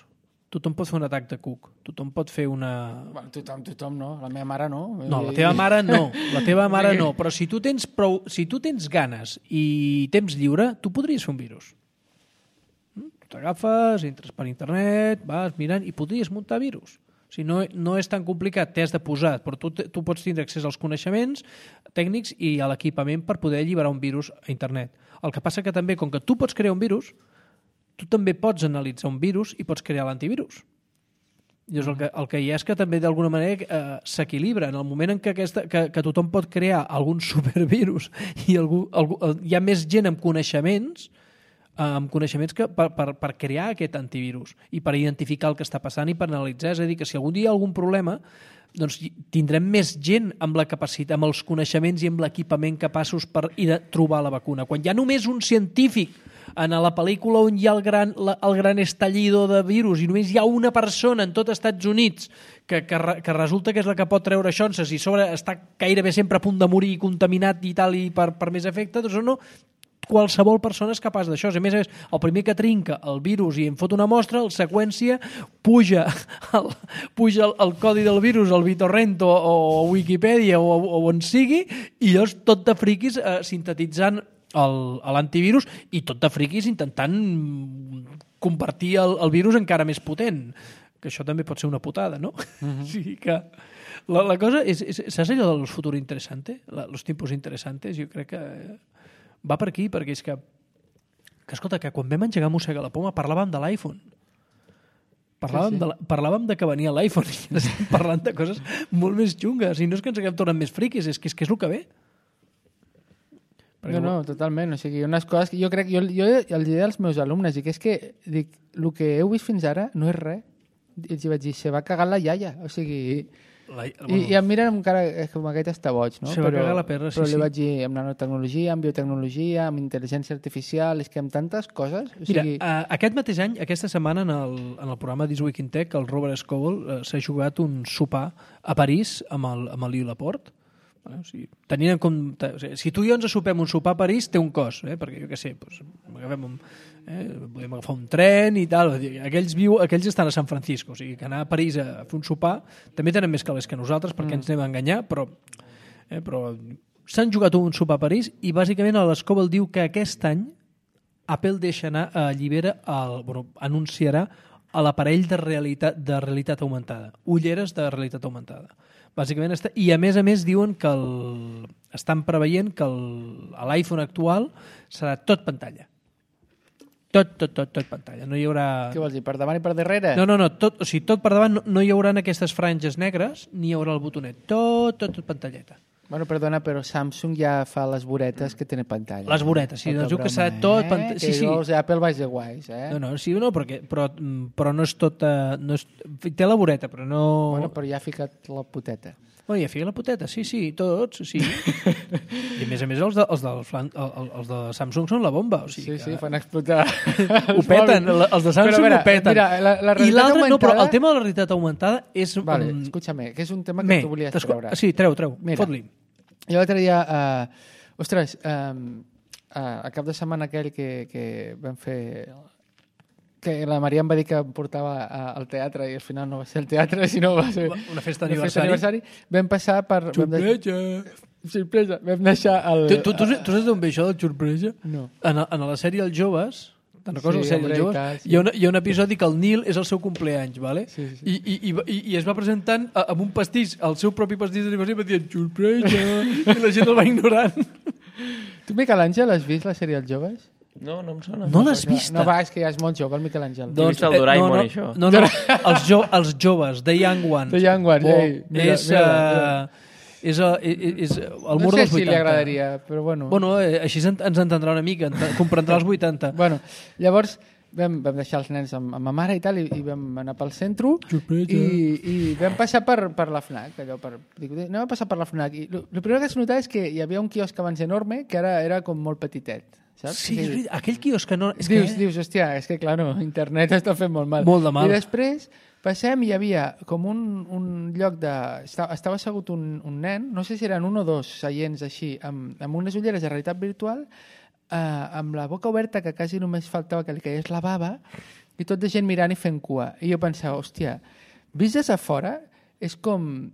tothom pot fer un atac de cuc, tothom pot fer una... Bueno, tothom, tothom no, la meva mare no. No, la teva mare no, la teva mare no, però si tu tens prou, si tu tens ganes i temps lliure, tu podries fer un virus. T'agafes, entres per internet, vas mirant i podries muntar virus. O sigui, no, no és tan complicat, t'has de posar, però tu, tu pots tindre accés als coneixements tècnics i a l'equipament per poder alliberar un virus a internet. El que passa que també, com que tu pots crear un virus, tu també pots analitzar un virus i pots crear l'antivirus. Llavors, el que, el que hi ha és que també d'alguna manera eh, s'equilibra. En el moment en què, aquesta, que, que tothom pot crear algun supervirus i algú, algú, hi ha més gent amb coneixements amb coneixements que per, per, per crear aquest antivirus i per identificar el que està passant i per analitzar. És a dir, que si algun dia hi ha algun problema, doncs tindrem més gent amb la capacitat, amb els coneixements i amb l'equipament capaços per ir a trobar la vacuna. Quan hi ha només un científic en la pel·lícula on hi ha el gran, la, el gran estallido de virus i només hi ha una persona en tot Estats Units que, que, que resulta que és la que pot treure xonses i sobre està gairebé sempre a punt de morir contaminat i tal i per, per més efecte, doncs no, qualsevol persona és capaç d'això. A més a més, el primer que trinca el virus i en fot una mostra, el seqüència, puja el, puja el, el codi del virus al BitTorrent o, o Wikipedia o, o on sigui i llavors tot de friquis eh, sintetitzant l'antivirus i tot de friquis intentant convertir el, el virus encara més potent. Que això també pot ser una putada, no? Uh-huh. Sí que la, la cosa és, és, saps allò del futur interessante? La, los tiempos interesantes, jo crec que va per aquí, perquè és que, que escolta, que quan vam engegar Mossega la Poma parlàvem de l'iPhone. Parlàvem, sí, sí. De la, parlàvem de que venia l'iPhone i ara estem parlant de coses molt més xungues. I no és que ens haguem tornat més friquis, és que és, que és el que ve. Perquè no, no, totalment. O sigui, unes coses que jo crec... Jo, jo els diré als meus alumnes, i que és que dic, el que heu vist fins ara no és res. I els vaig dir, se va cagar la iaia. O sigui... La, bueno, I, I em miren amb cara com aquest està boig, no? Se va cagar la perra, sí, però sí. li vaig dir amb nanotecnologia, amb biotecnologia, amb intel·ligència artificial, és que amb tantes coses... O Mira, sigui... uh, aquest mateix any, aquesta setmana, en el, en el programa This Week in Tech, el Robert Scoble uh, s'ha jugat un sopar a París amb el, amb el Lluís Laporte. Bueno, o sigui, tenint en compte, o sigui, si tu i jo ens sopem un sopar a París té un cost, eh? Perquè jo què sé, doncs, agafem un, eh? podem agafar un tren i tal, aquells, viu, aquells estan a San Francisco, o sigui que anar a París a fer un sopar també tenen més calés que nosaltres perquè mm. ens anem a enganyar, però, eh? però s'han jugat un sopar a París i bàsicament l'Scoble diu que aquest any Apple deixa anar, allibera el, bueno, anunciarà a l'aparell de realitat, de realitat augmentada, ulleres de realitat augmentada. Bàsicament està, i a més a més diuen que el, estan preveient que l'iPhone actual serà tot pantalla. Tot, tot, tot, tot pantalla. No hi haurà... Què vols dir, per davant i per darrere? No, no, no, tot, o sigui, tot per davant no, no hi haurà aquestes franges negres ni hi haurà el botonet. Tot, tot, tot pantalleta. Bueno, perdona, però Samsung ja fa les voretes que tenen pantalla. Les voretes, sí, Poca doncs diu que broma, serà tot... Eh? Pant... Que Sí, sí. llavors Apple vaig de guais, eh? No, no, sí, no, perquè, però, però no és tot... Uh, no és... Té la voreta, però no... Bueno, però ja ha ficat la puteta. Bueno, ja fica la puteta, sí, sí, tots, sí. I a més a més els de, els, del flan, el, els de Samsung són la bomba, o sigui Sí, sí, que... fan explotar. Ho peten, els de Samsung veure, ho peten. Mira, la, la I l'altre, augmentada... no, però el tema de la realitat augmentada és... Vale, um... escúchame, que és un tema que Me, tu volies t'esco- treure. Sí, treu, treu, Mira. fot-li. Jo l'altre dia... Uh, ostres, um, uh, a cap de setmana aquell que, que vam fer... que la Maria em va dir que em portava a, al teatre i al final no va ser el teatre, sinó va ser Una festa una d'aniversari. aniversari. Vam passar per... Vam de... Sorpresa! Sorpresa! Vam deixar el... Tu, tu, tu, tu saps d'on ve això del sorpresa? No. En, en la sèrie Els Joves, te'n recordes Sí, la sèrie hombre, Els i Joves? tal, sí. Hi, ha una, hi ha un episodi que el Nil és el seu compleanys, ¿vale? Sí, sí, sí. I, i, i, i, i es va presentant a- amb un pastís, el seu propi pastís d'aniversari, i va dient sorpresa, i la gent el va ignorant. Tu, Miquel Àngel, has vist la sèrie Els Joves? No, no em sona. No l'has vist? No, va, és que ja és molt jove, el Miquel Àngel. He vist el Doraemon, no, no, això. No, no, els, jo, els joves, The Young Ones. The Young Ones, Oh, ei, mira, és, mira, uh, és, uh, és, és el mur no sé dels si vuitanta. li agradaria, però bueno. Bueno, eh, així ens ens entendrà una mica, ent- comprendrà els vuitanta. Bueno, llavors vam, vam deixar els nens amb, amb ma mare i tal, i, i vam anar pel centre Sorpresa. i, i vam passar per, per la FNAC, allò per, dic, anem a passar per la FNAC. I el primer que es notava és que hi havia un quiosc abans enorme que ara era com molt petitet, saps? Sí, O és sigui, veritat, aquell quiosc que no... És dius, que... dius, hòstia, és que clar, no, internet està fent molt mal. Molt de mal. I després passem i hi havia com un, un lloc de... Estava, estava assegut un, un nen, no sé si eren un o dos seients així, amb, amb unes ulleres de realitat virtual, eh, amb la boca oberta, que quasi només faltava que li caigués la bava, i tot de gent mirant i fent cua. I jo pensava, hòstia, vist des de fora, és com...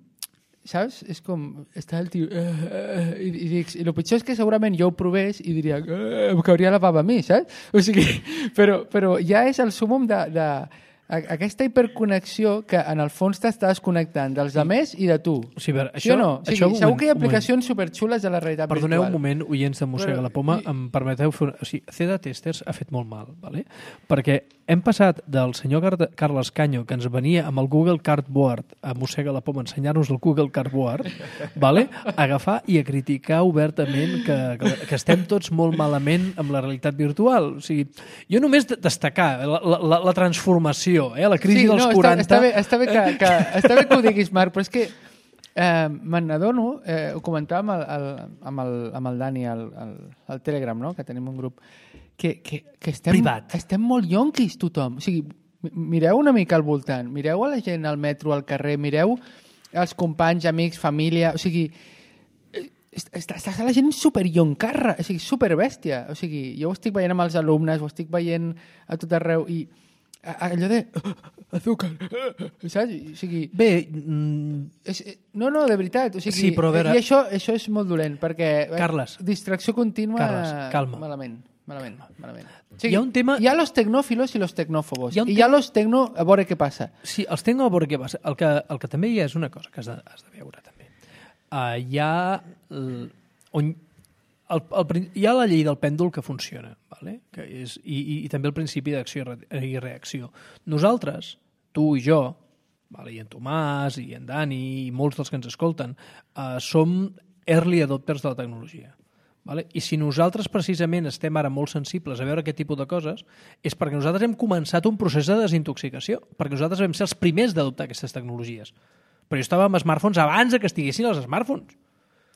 Saps? És com... Està el tio... Uh, uh, i, i, dic, I el pitjor és que segurament jo ho provés i diria uh, em cauria la bava a mi, saps? O sigui, però, però ja és el súmum de, de a, aquesta hiperconnexió que en el fons t'estàs connectant dels altres i de tu. O sigui, a veure, Sí o això, no? O sigui, això, un segur moment, que hi ha un moment. aplicacions superxules de la realitat Perdoneu virtual. un moment, oients de Mossega Però- la Poma, i- em permeteu fer... Una... O sigui, C D Testers ha fet molt mal, ¿vale? Perquè hem passat del senyor Car Carles Canyo, que ens venia amb el Google Cardboard a Mossega la Poma, ensenyar-nos el Google Cardboard, ¿vale? A agafar i a criticar obertament que, que, que estem tots molt malament amb la realitat virtual. O sigui, jo només de- destacar la, la, la transformació, eh? La crisi sí, dels no, quaranta... Està, està, bé, està, bé que, que, està bé que ho diguis, Marc, però és que eh, me n'adono, eh, ho comentàvem el, el, amb, el, amb el Dani al, al, al Telegram, no? Que tenim un grup, que, que, que estem, Privat. estem molt yonquis tothom. O sigui, mi- mireu una mica al voltant, mireu a la gent al metro, al carrer, mireu els companys, amics, família, o sigui, eh, està, està la gent superyoncarra, o sigui, superbèstia. O sigui, jo ho estic veient amb els alumnes, ho estic veient a tot arreu i a- allò de azúcar, saps? O sigui, Bé, mm, és, no, no, de veritat. O sigui, Sí, però a veure- I això, això és molt dolent, perquè eh, Carles. distracció contínua... Carles, calma. Malament, malament, malament. O Hi ha un tema- Hi ha los tecnòfilos i los tecnòfobos. Hi ha un I hi ha los tecno... A veure què passa. sí, els tengo a veure què passa. El que, el que també hi ha és una cosa que has de, has de veure, també. Uh, hi ha... l- On, el, el, prin- hi ha la llei del pèndol que funciona, vale? Que és, i, i, i també el principi d'acció i re- i reacció. Nosaltres, tu i jo, vale? I en Tomàs, i en Dani, i molts dels que ens escolten, uh, som early adopters de la tecnologia. Vale? I si nosaltres precisament estem ara molt sensibles a veure aquest tipus de coses, és perquè nosaltres hem començat un procés de desintoxicació, perquè nosaltres vam ser els primers d'adoptar aquestes tecnologies. Però jo estava amb smartphones abans de que estiguessin els smartphones.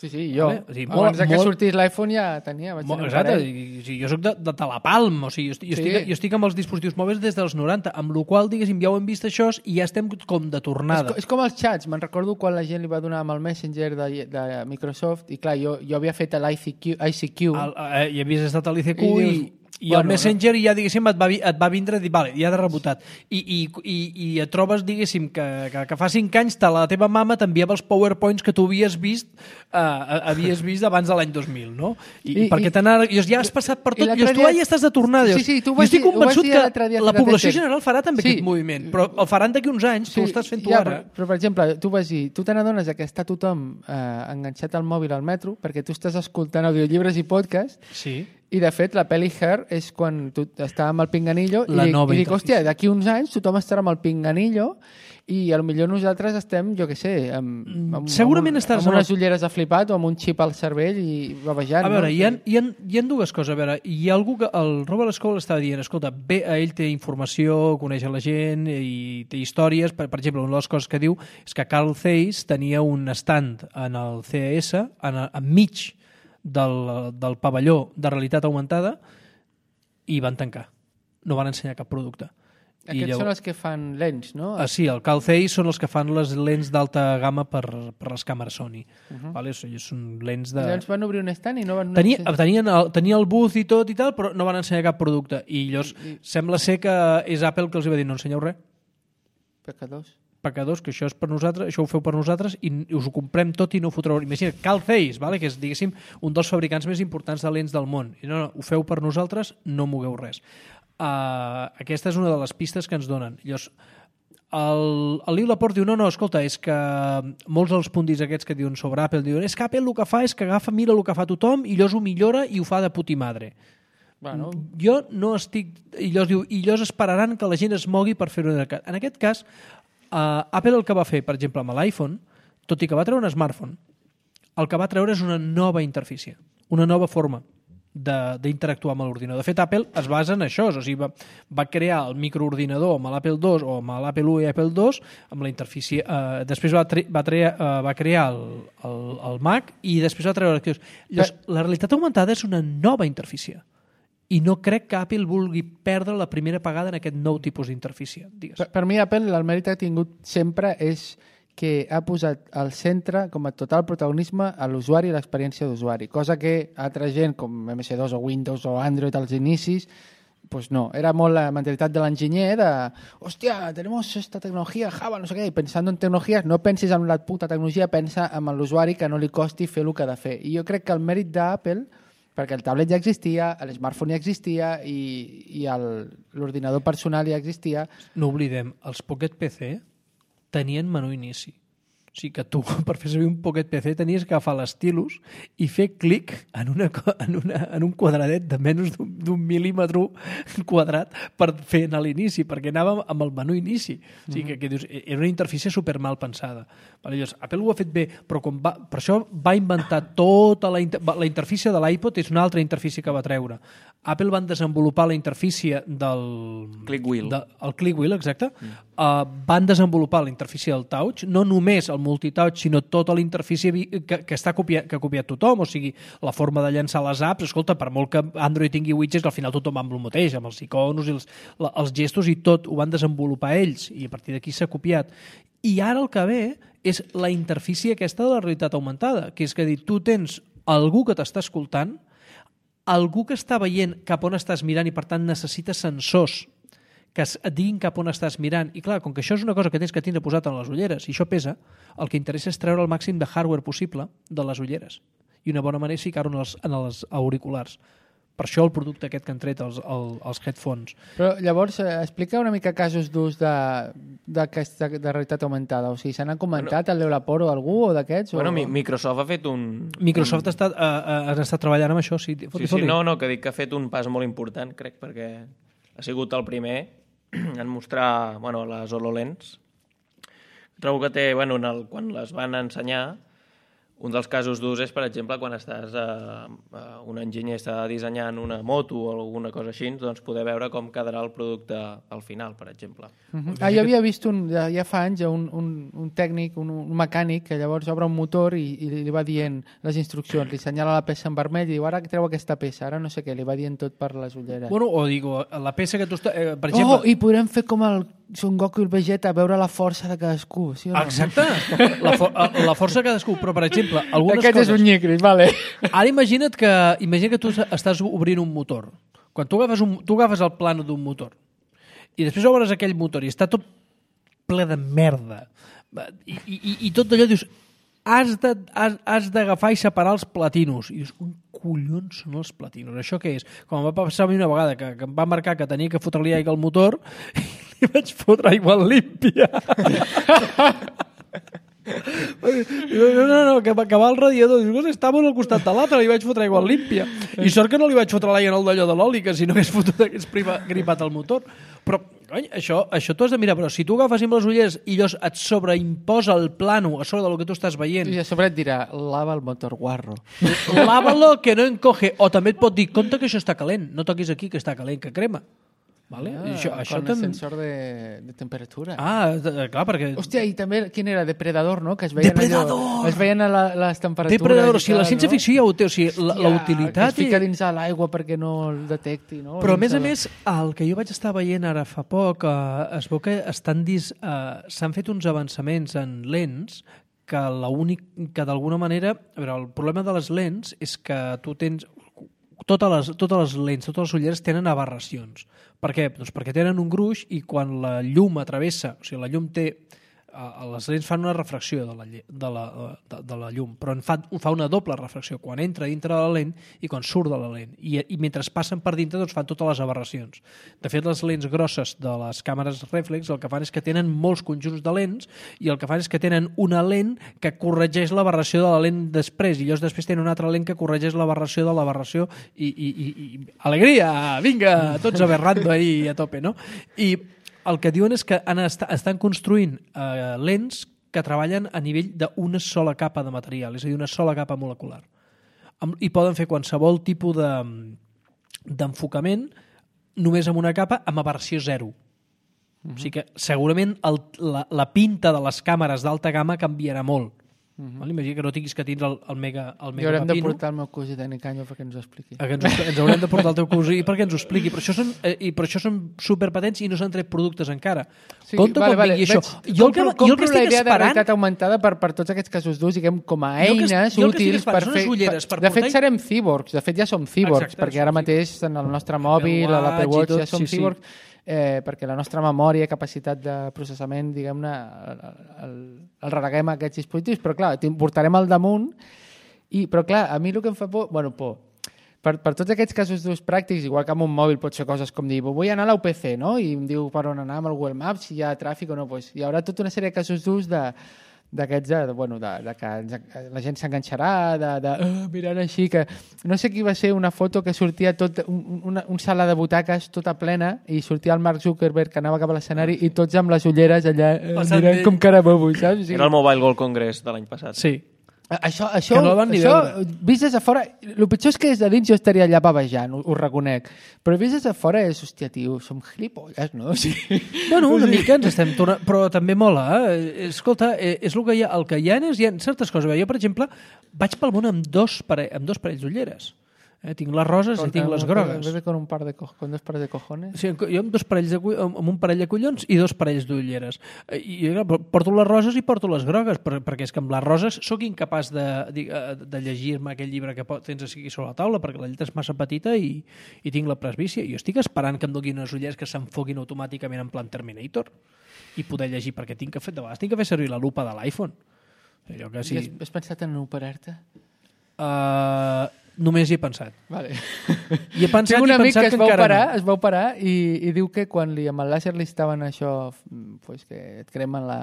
Sí, sí, jo. Vale? O sigui, Abans molt- de que molt- sortís l'iPhone ja tenia. Vaig Molt, tenir un exacte, parell. i, i, jo soc de, de Talapalm, o sigui, jo, estic, jo, Sí. estic, jo estic amb els dispositius mòbils des dels noranta, amb la qual diguéssim, ja ho hem vist això i ja estem com de És, tornada. co- és com els xats. Me'n recordo quan la gent li va donar amb el Messenger de, de Microsoft i clar, jo, jo havia fet l'I C Q, I C Q El, eh, I havies estat a l'I C Q I i, dius, i bueno, el Messenger ja, diguéssim, et va, vi- et va vindre i dir, vale, ja de rebotat. I, i, i, i et trobes, diguéssim, que, que, que fa cinc anys te, la teva mama t'enviava els PowerPoints que tu havies vist eh, havies vist abans de l'any dos mil, no? I, I- I perquè i- t'anara, i ja has passat per i tot, l'altre i tu dia- ja estàs de tornada. Sí, sí, tu ho jo vas estic dir- ho vas convençut dir que l'altre dia a la Fira població Tester. general farà també Sí. aquest moviment, però el faran d'aquí uns anys, tu ho estàs fent tu ja, ara. Però, però, per exemple, tu vas dir, tu te n'adones que està tothom eh, enganxat al mòbil al metro perquè tu estàs escoltant audiollibres i podcast Sí. I, de fet, la pel·li Her és quan tu estava amb el pinganillo La i, nova i dic, interfície. hòstia, d'aquí uns anys tothom estarà amb el pinganillo i potser nosaltres estem, jo què sé, amb, amb, Segurament amb, estaràs amb amb unes el- ulleres de flipat o amb un xip al cervell i bavejant. A veure, no? hi ha, hi, ha, hi ha dues coses. A veure, hi ha algú que... El Robert Scoble estava dient, escolta, bé, ell té informació, coneix la gent i té històries. Per, per exemple, una de les coses que diu és que Carl Zeiss tenia un stand en el C E S, en, enmig del, del pavelló de realitat augmentada, i van tancar. No van ensenyar cap producte. Aquests I llavors... són els que fan lents, no? Ah, sí, el Carl Zeiss són els que fan les lents d'alta gamma per, per les càmeres Sony. Uh -huh. Vale? Són lents de... Llavors van obrir un stand i no van... Tenia, tenien el, tenia el booth i tot i tal, però no van ensenyar cap producte. I llavors I, i... sembla ser que és Apple que els va dir no ensenyeu res. Pecadors. Pecadors, que això és per nosaltres, això ho feu per nosaltres i us ho comprem tot i no ho fotreu. Imagina't, Carl Zeiss, vale? Que és, diguéssim, un dels fabricants més importants de lents del món. I no, no, ho feu per nosaltres, no mogueu res. Uh, aquesta és una de les pistes que ens donen. Llavors, el, el Liu Laporte diu, no, no, escolta, és que molts dels puntis aquests que diuen sobre Apple diuen, és que Apple el que fa és que agafa, mira el que fa tothom i llavors ho millora i ho fa de puti madre. Bueno. Jo no estic... I llavors diu, i llavors esperaran que la gent es mogui per fer-ho. En aquest cas, uh, Apple el que va fer, per exemple, amb l'iPhone, tot i que va treure un smartphone, el que va treure és una nova interfície, una nova forma d'interactuar amb l'ordinador. De fet, Apple es basa en això, o sigui, va, va crear el microordinador amb l'Apple dos o amb l'Apple u i Apple dos, amb la interfície... Eh, després va, tre va, treia, eh, va crear el, el, el Mac i després va treure... Llavors, la realitat augmentada és una nova interfície i no crec que Apple vulgui perdre la primera pagada en aquest nou tipus d'interfície. Per, per mi, Apple, el mèrit que ha tingut sempre és que ha posat al centre com a total protagonisme a l'usuari i l'experiència d'usuari, cosa que altra gent com M S dos o Windows o Android als inicis, pues no, era molt la mentalitat de l'enginyer de, hòstia, tenemos esta tecnologia, Java, no sé què, i pensant en tecnologies, no pensis en la puta tecnologia, pensa en l'usuari que no li costi fer el que ha de fer. I jo crec que el mèrit d'Apple, perquè el tablet ja existia, l'smartphone ja existia i, i l'ordinador personal ja existia. No oblidem, els Pocket P C tenien menú inici. O sigui que tu, per fer servir un Pocket P C, tenies que agafar l'estilus i fer clic en, una, en, una, en un quadradet de menys d'un mil·límetre quadrat per fer anar a l'inici, perquè anàvem amb el menú inici. O sigui que, que dius, era una interfície super mal pensada. Vale, llavors, Apple ho ha fet bé, però com va, per això va inventar tota la, inter, la interfície de l'iPod, és una altra interfície que va treure. Apple van desenvolupar la interfície del... Click wheel. De, el click wheel, exacte. Mm. Uh, van desenvolupar la interfície del touch, no només el multitouch, sinó tota la interfície que, que està copiat, que ha copiat tothom, o sigui, la forma de llançar les apps, escolta, per molt que Android tingui widgets, al final tothom va amb el mateix, amb els iconos i els, la, els gestos i tot, ho van desenvolupar ells, i a partir d'aquí s'ha copiat. I ara el que ve és la interfície aquesta de la realitat augmentada, que és que dir, tu tens algú que t'està escoltant, algú que està veient cap on estàs mirant i per tant necessita sensors que et diguin cap on estàs mirant. I clar, com que això és una cosa que tens que tindre posat en les ulleres i això pesa, el que interessa és treure el màxim de hardware possible de les ulleres. I una bona manera és ficar-ho en, els, en els auriculars. Per això el producte aquest que han tret, els, els, els headphones. Però llavors, eh, explica una mica casos d'ús de, de, de, de realitat augmentada. O sigui, se n'ha comentat bueno, el Leolaport o algú o d'aquests? Bueno, o... Microsoft ha fet un... Microsoft un... està, uh, uh, està treballant amb això, sí. Sí, sí, no, no, que dic que ha fet un pas molt important, crec, perquè ha sigut el primer en mostrar bueno, les HoloLens. Trobo que té, bueno, en el, quan les van ensenyar, un dels casos d'ús és, per exemple, quan estàs a, a un enginyer està dissenyant una moto o alguna cosa així, doncs poder veure com quedarà el producte al final, per exemple. Uh-huh. Ah, jo havia vist un, ja fa anys un, un, un tècnic, un, un mecànic, que llavors obre un motor i, i li va dient les instruccions, li senyala la peça en vermell i diu, ara treu aquesta peça, ara no sé què, li va dient tot per les ulleres. Bueno, o digo, la peça que tu està... Eh, per exemple... Oh, i podrem fer com el Son Goku i el Vegeta, veure la força de cadascú, sí o no? Exacte, la, for la força de cadascú, però per exemple, algunes Aquest coses... és un nyicris, vale. Ara imagina't que, imagina que tu estàs obrint un motor. Quan tu agafes, un, tu agafes el plano d'un motor i després obres aquell motor i està tot ple de merda i, i, i tot allò dius has de, has, has d'agafar i separar els platinos i dius, on collons són els platinos? Això què és? Com em va passar a mi una vegada que, que em va marcar que tenia que fotre-li aigua al motor i li vaig fotre aigua límpia No, no, no, que, que va al radiador. Dius, estava al costat de l'altre, li vaig fotre aigua límpia. I sort que no li vaig fotre l'aigua en el d'allò de l'oli, que si no hagués fotut hagués gripat el motor. Però, cony, això, això t'ho has de mirar. Però si tu agafes amb les ulleres i llavors et sobreimposa el plano a sobre del que tu estàs veient... I a sobre et dirà, lava el motor guarro. Lávalo, que no encoge. O també et pot dir, compte que això està calent. No toquis aquí, que està calent, que crema. Vale? Ah, això, això con tam... sensor de, de temperatura. Ah, de, clar, perquè... Hòstia, i també, quin era? Depredador, no? Que es veien Depredador! Allò, es veien a la, les temperatures. Depredador, o sigui, la tal, ciència-ficció ja ho té, o sigui, la, la utilitat... Que es fica dins a l'aigua perquè no el detecti, no? Però, a més a la... més, el que jo vaig estar veient ara fa poc, eh, es veu que estan dis... eh, s'han fet uns avançaments en lents que l'únic que d'alguna manera... A veure, el problema de les lents és que tu tens... Totes les, totes les lents, totes les ulleres tenen aberracions. Per què? Doncs perquè tenen un gruix i quan la llum atravessa, o sigui, la llum té... Les lents fan una refracció de la, de la, de, de la llum, però en fa, fa una doble refracció, quan entra dintre de la lent i quan surt de la lent. I, i mentre passen per dintre doncs fan totes les aberracions. De fet, les lents grosses de les càmeres reflex el que fan és que tenen molts conjunts de lents i el que fan és que tenen una lent que corregeix l'aberració de la lent després i llavors després tenen una altra lent que corregeix l'aberració de l'aberració i, i, i, i... Alegria! Vinga! Tots aberrando ahí a tope, no? I el que diuen és que han est estan construint eh, lents que treballen a nivell d'una sola capa de material, és a dir, una sola capa molecular. I poden fer qualsevol tipus de d'enfocament només amb una capa amb aberració zero. Uh-huh. O sigui que segurament el, la, la pinta de les càmeres d'alta gamma canviarà molt. Uh-huh. Imagina que no tinguis que tindre el, el mega el mega I haurem papino. de portar el meu cosí tècnic Canyo perquè ens ho expliqui. Que ens, ens haurem de portar el teu cosí perquè ens ho expliqui. Però això són, eh, i per això són superpatents i no s'han tret productes encara. Sí, Compte vale, quan vale. vingui això. Veig, Jo el que, compro, jo el que compro estic la idea esperant... de realitat augmentada per, per tots aquests casos d'ús, diguem, com a Jo el que- eines jo el que estic útils per esperant són fer... les ulleres, per de fet, portar- serem cyborgs. De fet, ja som cyborgs, Exacte, perquè ara som mateix en el nostre mòbil, a l'Apple Watch i Watch, tot, ja som sí, sí. cyborgs, eh, perquè la nostra memòria, capacitat de processament, diguem-ne, el, el, el reneguem a aquests dispositius, però clar, portarem al damunt. I, però clar, a mi el que em fa por... Bueno, por... Per, per tots aquests casos d'ús pràctics, igual que amb un mòbil pot ser coses com dir vull anar a la U P C, no? I em diu per on anar amb el Google Maps, si hi ha tràfic o no. Pues, hi haurà tota una sèrie de casos d'ús de d'aquests, de, de, bueno, de, de que ens, la gent s'enganxarà, de, de uh, mirant així, que no sé qui va ser una foto que sortia tot, un, una, un sala de butaques tota plena i sortia el Mark Zuckerberg que anava cap a l'escenari i tots amb les ulleres allà uh, mirant d'ell. com carabobo, saps? O sigui, Era el Mobile World Congress de l'any passat. Sí. Això, això, Que no el van ni això veure. vist des de fora, el pitjor és que des de dins jo estaria allà bavejant, ho, ho reconec, però vist des de fora és, hòstia, tio, som gilipolles, no? O sigui, Bueno, una mica ens estem tornant... Però també mola, eh? Escolta, eh, és el que hi ha, el que hi ha és, hi ha certes coses. Jo, per exemple, vaig pel món amb dos, pare, amb dos parells d'ulleres. Eh? Tinc les roses i tinc les grogues. Bebe con un par de, co con dos pares de cojones. Sí, jo amb, dos parells de, amb un parell de collons i dos parells d'ulleres. I jo porto les roses i porto les grogues, per, perquè és que amb les roses sóc incapaç de, de, de llegir-me aquell llibre que tens aquí sobre la taula, perquè la lletra és massa petita i, i tinc la presbícia. Jo estic esperant que em donin unes ulleres que s'enfoquin automàticament en plan Terminator i poder llegir, perquè tinc que fer, de vegades tinc que fer servir la lupa de l'iPhone. Allò que Sí. sí... I has, has pensat en operar-te? Uh, només hi he pensat. Vale. I he pensat Tinc un i he amic pensat que es que va encara operar, no. es va operar i, i diu que quan li, amb el làser li estaven això, pues que et cremen la,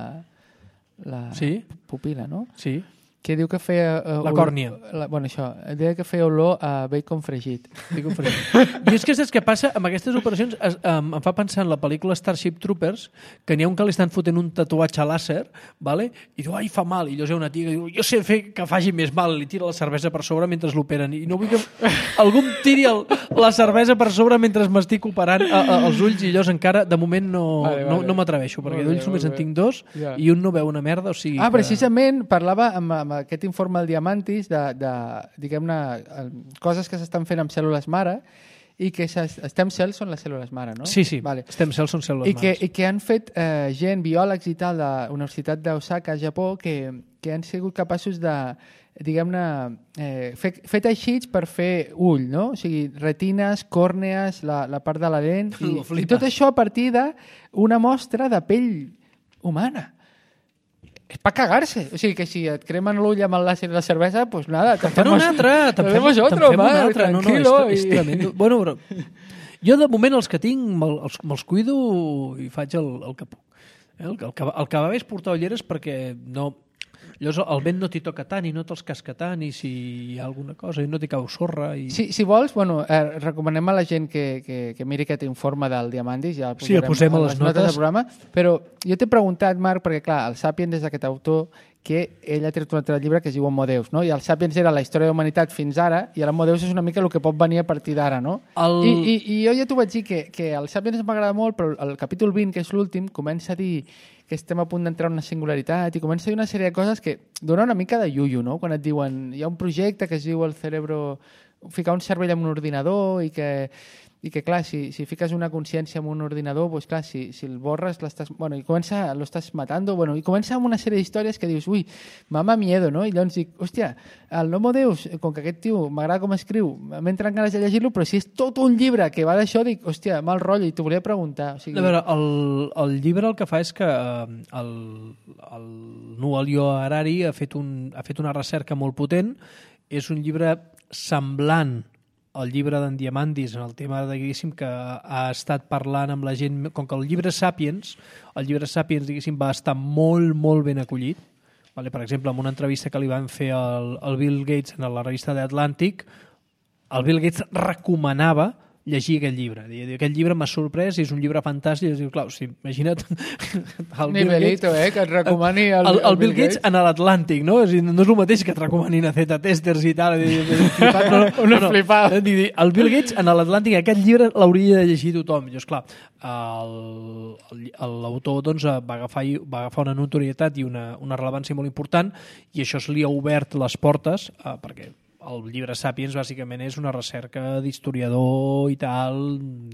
la Sí. pupila, no? Sí. Que diu que feia... Uh, La còrnia. La, bueno, això, deia que feia olor a bacon fregit. Dic un fregit. I és que saps què passa? Amb aquestes operacions es, um, em fa pensar en la pel·lícula Starship Troopers, que n'hi ha un que li estan fotent un tatuatge làser, vale? I diu, ai, fa mal. I llavors hi ha una tia que diu, jo sé fer que faci més mal, li tira la cervesa per sobre mentre l'operen. I no vull que algú em tiri el, la cervesa per sobre mentre m'estic operant a, a, els ulls i llavors encara, de moment, no, Vale, vale. no, no m'atreveixo, perquè Molt bé, d'ulls només molt en bé. tinc dos Ja. i un no veu una merda, o sigui Ah, que... precisament parlava amb, amb aquest informe del Diamantis de, de diguem-ne, eh, coses que s'estan fent amb cèl·lules mare i que ses- stem cells són les cèl·lules mare, no? Sí, sí, Vale. stem cells són cèl·lules I que, mares. I que han fet eh, gent, biòlegs i tal, de la Universitat d'Osaka, a Japó, que, que han sigut capaços de, diguem-ne, eh, fer, fer teixits per fer ull, no? O sigui, retines, còrnees, la, la part de la lent, i, Lo i flipes. tot això a partir d'una mostra de pell humana. És per cagar-se. O sigui, que si et cremen l'ull amb el làser i la cervesa, pues nada. Te'n fan un altre, te'n fem, hacemos te'n otro, fem un va, altre. No, no, és, tranquilo. és i- tremendo. Bueno, però jo de moment els que tinc me'l- els, me'ls cuido i faig el, el que puc. Eh, El, que- el, que, el que va bé és portar ulleres perquè no... Llavors el vent no t'hi toca tant i no te'ls casca tant i si hi ha alguna cosa i no t'hi cau sorra. I... Si, si vols, bueno, eh, recomanem a la gent que, que, que miri aquest informe del Diamandis, ja el sí, el posem a les, les notes. notes del programa, però jo t'he preguntat, Marc, perquè clar, el Sapiens és aquest autor que ell ha tret un altre llibre que es diu Homo Deus, no? I el Sapiens era la història de la humanitat fins ara, i l'Homo Deus és una mica el que pot venir a partir d'ara, no? El... I, i, I jo ja t'ho vaig dir, que, que el Sapiens m'agrada molt, però el capítol vint, que és l'últim, comença a dir que estem a punt d'entrar en una singularitat i comença a dir una sèrie de coses que dona una mica de iuiu, no? Quan et diuen, hi ha un projecte que es diu el cerebro... ficar un cervell en un ordinador i que... i que clar, si, si fiques una consciència en un ordinador, pues clar, si, si el borres l'estàs, bueno, i comença, lo estàs matando, bueno, i comença amb una sèrie d'històries que dius, ui, mama miedo, no? I llavors dic, hòstia, el Homo Deus, com que aquest tio m'agrada com escriu, m'entren ganes de llegir-lo, però si és tot un llibre que va d'això, dic, hòstia, mal rotllo, i t'ho volia preguntar. O sigui... A veure, el, el llibre el que fa és que eh, el, el Yuval Noah Harari ha fet, un, ha fet una recerca molt potent, és un llibre semblant el llibre d'en Diamandis en el tema de, diguéssim, que ha estat parlant amb la gent, com que el llibre Sapiens, el llibre Sapiens, diguéssim, va estar molt, molt ben acollit. Vale? Per exemple, en una entrevista que li van fer al, al Bill Gates en la revista The Atlantic, el Bill Gates recomanava llegir aquest llibre. Aquest llibre m'ha sorprès i és un llibre fantàstic. Diu, clar, o sigui, imagina't el Nivelito, eh, que et recomani el, el, el, el Bill Gates, Gates en l'Atlàntic, no? És dir, no és el mateix que et recomanin a Z-testers i tal. Flipat, no, no, Una no, flipada. No. El Bill Gates en l'Atlàntic, aquest llibre l'hauria de llegir tothom. Llavors, clar, l'autor doncs, va, agafar, va agafar una notorietat i una, una rellevància molt important i això se li ha obert les portes eh, perquè el llibre Sapiens bàsicament és una recerca d'historiador i tal,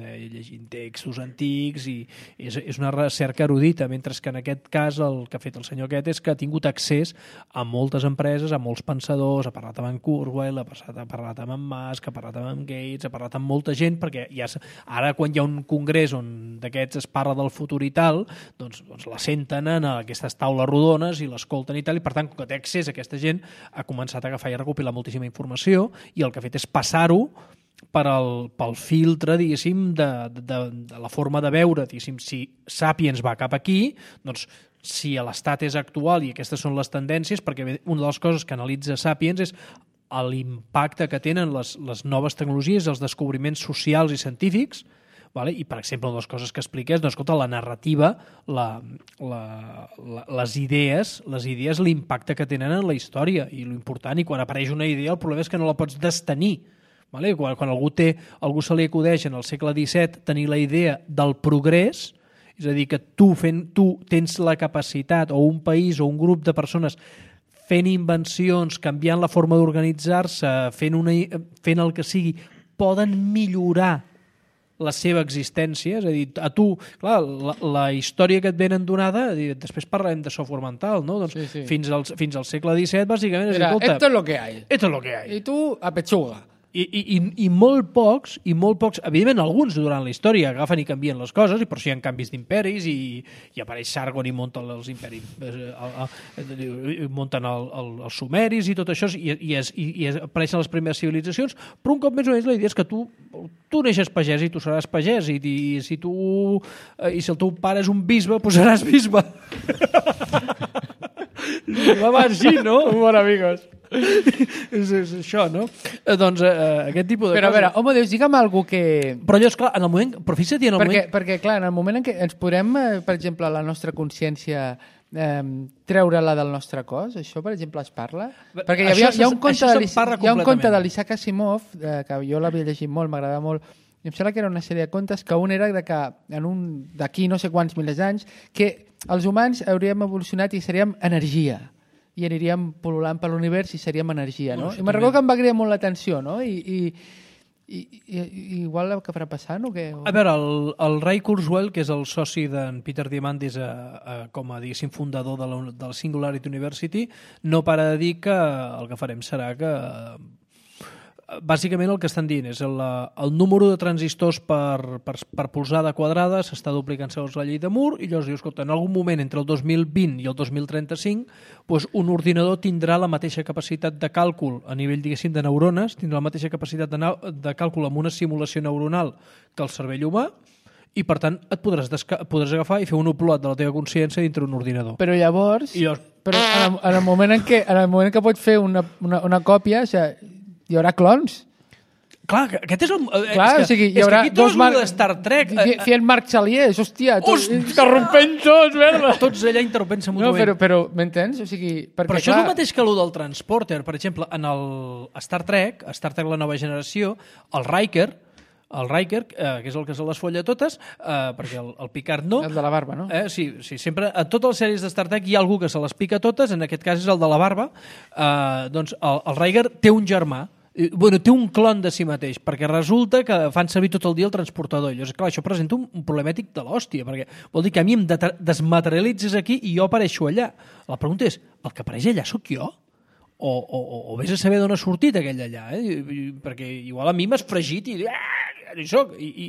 eh, llegint textos antics i és, és una recerca erudita, mentre que en aquest cas el que ha fet el senyor aquest és que ha tingut accés a moltes empreses, a molts pensadors, ha parlat amb en Kurzweil, ha, passat, ha parlat amb en Musk, ha parlat amb en Gates, ha parlat amb molta gent, perquè ja, ara quan hi ha un congrés on d'aquests es parla del futur i tal, doncs, doncs la senten en aquestes taules rodones i l'escolten i tal, i per tant, com que té accés a aquesta gent, ha començat a agafar i a recopilar moltíssima informació i el que ha fet és passar-ho per al, pel filtre, diguéssim, de, de, de la forma de veure, diguéssim, si Sapiens va cap aquí, doncs si l'estat és actual i aquestes són les tendències, perquè una de les coses que analitza Sapiens és l'impacte que tenen les, les noves tecnologies, els descobriments socials i científics, vale? I, per exemple, una de les coses que explica és, doncs, escolta, la narrativa, la, la, la, les idees, les idees, l'impacte que tenen en la història i l'important, i quan apareix una idea el problema és que no la pots destenir. Vale? Quan, quan algú, té, algú se li acudeix en el segle disset tenir la idea del progrés, és a dir, que tu, fent, tu tens la capacitat, o un país o un grup de persones fent invencions, canviant la forma d'organitzar-se, fent, una, fent el que sigui, poden millorar la seva existència, és a dir, a tu, clar, la, la història que et venen donada, després parlarem de software mental, no? Doncs sí, sí. Fins, al, fins al segle disset, bàsicament, és Era, escolta, esto es lo que hay. Esto es lo que hay. I tu, a pechuga. I, i, i, i molt pocs, i molt pocs, evidentment alguns durant la història agafen i canvien les coses, i per això hi ha canvis d'imperis, i, i apareix Sargon i munten els imperis, eh, munten el, el, els sumeris i tot això, i, i, es, i, i apareixen les primeres civilitzacions, però un cop més o menys la idea és que tu, tu neixes pagès i tu seràs pagès, i, i, si tu, i si el teu pare és un bisbe, doncs seràs bisbe. Va així, no? Bon, amigos. és, és això, no? Eh, doncs eh, aquest tipus de Però a coses... veure, home, Déu, digue'm alguna que... Però allò, esclar, en el moment... Però fixa't, en el perquè, moment... perquè, clar, en el moment en què ens podem, eh, per exemple, la nostra consciència eh, treure-la del nostre cos, això, per exemple, es parla? Perquè hi, havia, Això hi ha un se'n- conte això de se'n l'Is- parla hi ha un conte completament. de l'Isaac Asimov, eh, que jo l'havia llegit molt, m'agradava molt, i em sembla que era una sèrie de contes que un era de que en un d'aquí no sé quants milers d'anys que els humans hauríem evolucionat i seríem energia i aniríem pol·lulant per l'univers i seríem energia, no? No, I me'n recordo que em va cridar molt l'atenció, no? I, i, i, i, i igual el que farà passant o què? A veure, el, el Ray Kurzweil, que és el soci d'en Peter Diamandis a, a, com a, diguéssim, fundador de la, de la Singularity University, no para de dir que el que farem serà que bàsicament el que estan dient és el, el número de transistors per, per, per polzada quadrada s'està duplicant segons la llei de Moore i llavors dius, escolta, en algun moment entre el dos mil vint i el dos mil trenta-cinc doncs un ordinador tindrà la mateixa capacitat de càlcul a nivell, diguéssim, de neurones, tindrà la mateixa capacitat de, de càlcul amb una simulació neuronal que el cervell humà i per tant et podràs, desca podràs agafar i fer un upload de la teva consciència dintre un ordinador. Però llavors... I llavors però en el, en el moment en què, en el moment en què pots fer una, una, una còpia, o sigui, hi haurà clons. Clar, aquest és el... Clar, és que, o sigui, hi és haurà que aquí dos tot mar... de Star Trek... Fient Marc Xaliers, hòstia, tots, Hòstia! interrompent tots, merda. Tots allà interrompent-se No, mútuament. però, però m'entens? O sigui, perquè, Però això clar, és el mateix que el del transporter. Per exemple, en el Star Trek, Star Trek la nova generació, el Riker, el Riker, eh, que és el que se les folla totes, eh, perquè el, el Picard no. el de la barba, no? Eh, sí, sí, sempre, a totes les sèries de Star Trek hi ha algú que se les pica totes, en aquest cas és el de la barba. Eh, doncs el, el Riker té un germà, bueno, té un clon de si mateix, perquè resulta que fan servir tot el dia el transportador. I llavors, clar, això presenta un, un problemètic de l'hòstia, perquè vol dir que a mi em de desmaterialitzes aquí i jo apareixo allà. La pregunta és, el que apareix allà sóc jo? O, o, o vés a saber d'on ha sortit aquell allà, eh? I, i, perquè igual a mi m'has fregit i ah, hi soc, i, i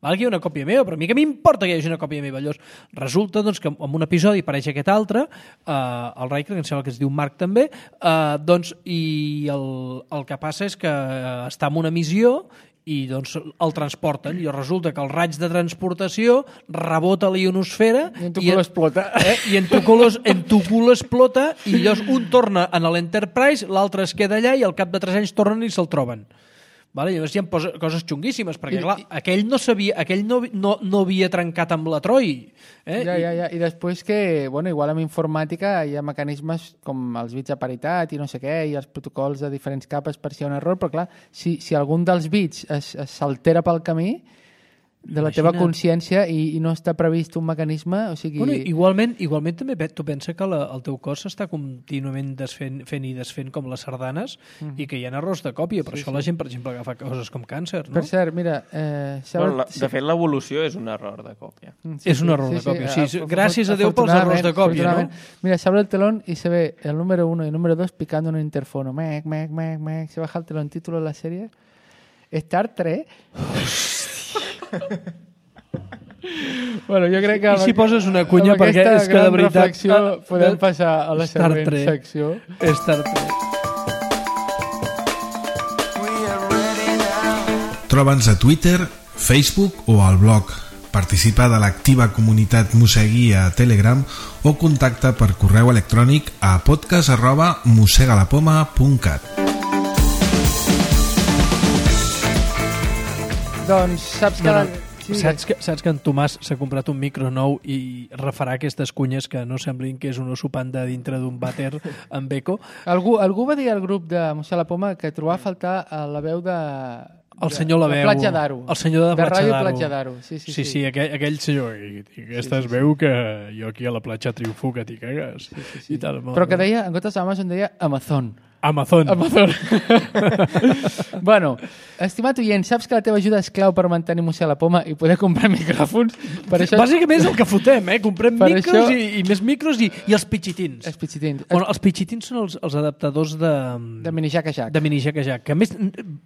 val que hi ha una còpia meva, però a mi que m'importa que hi hagi una còpia meva. Llavors, resulta doncs, que en un episodi apareix aquest altre, eh, el Riker, que em sembla que es diu Marc també, eh, doncs, i el, el que passa és que està en una missió i doncs el transporten, i resulta que el raig de transportació rebota a la ionosfera I en tu cul explota. Eh? I en tu cul, en tu cul explota i llavors un torna en l'Enterprise, l'altre es queda allà i al cap de tres anys tornen i se'l troben. Vale? Llavors hi ha posa, coses xunguíssimes, perquè I, clar, i, aquell, no, sabia, aquell no, no, no havia trencat amb la Troi. Eh? Ja, ja, ja. I després que, bueno, igual amb informàtica hi ha mecanismes com els bits de paritat i no sé què, i els protocols de diferents capes per si hi ha un error, però clar, si, si algun dels bits s'altera pel camí de la teva consciència i, i no està previst un mecanisme, o sigui... Bueno, igualment, igualment també tu pensa que la, el teu cos s'està contínuament desfent, fent i desfent com les sardanes mm. i que hi ha errors de còpia, per sí, això sí. La gent, per exemple, agafa coses com càncer, no? Per cert, mira... Eh, bueno, la, de fet, l'evolució és un error de còpia. Sí, és un error sí, de còpia, sí. sí. Gràcies a Déu pels errors de còpia, no? Mira, se abre el telón y se ve el número uno y el número dos picando en un interfono. Mec, mec, mec, mec. Se baja el telón, título de la serie. Star Trek. Bueno, jo crec que... I si poses una cunya, perquè és que de veritat... reflexió podem passar a la Star següent Trek. secció. Star Trek. Troba'ns a Twitter, Facebook o al blog. Participa de l'activa comunitat Mosegui a Telegram o contacta per correu electrònic a podcast arroba mosegalapoma punt cat. Doncs saps que... No, no. Sí, saps, que, saps que en Tomàs s'ha comprat un micro nou i refarà aquestes cunyes que no semblin que és un oso panda dintre d'un vàter amb eco. Algú, algú va dir al grup de Mossèn la Poma que trobava a faltar la veu de... El senyor la veu. De Platja d'Aro. El senyor de, de Platja d'Aro. De Ràdio Platja d'Aro. Sí, sí, sí. sí, sí aquell, aquell senyor. I, i aquesta sí, sí, es veu sí. Que jo aquí a la platja triomfo que t'hi cagues. Sí, sí, sí. I tal, però que deia, en comptes d'Amazon, deia Amazon. Amazon. Amazon. Bueno, estimat oient, saps que la teva ajuda és clau per mantenir Mossèn la Poma i poder comprar micròfons? Per això... Bàsicament és el que fotem, eh? Comprem per micros això... i, i més micros i, i els pitxitins. Els pitxitins. Bueno, els pitxitins són els, els adaptadors de... De mini jack a jack. De mini jack a jack, que a més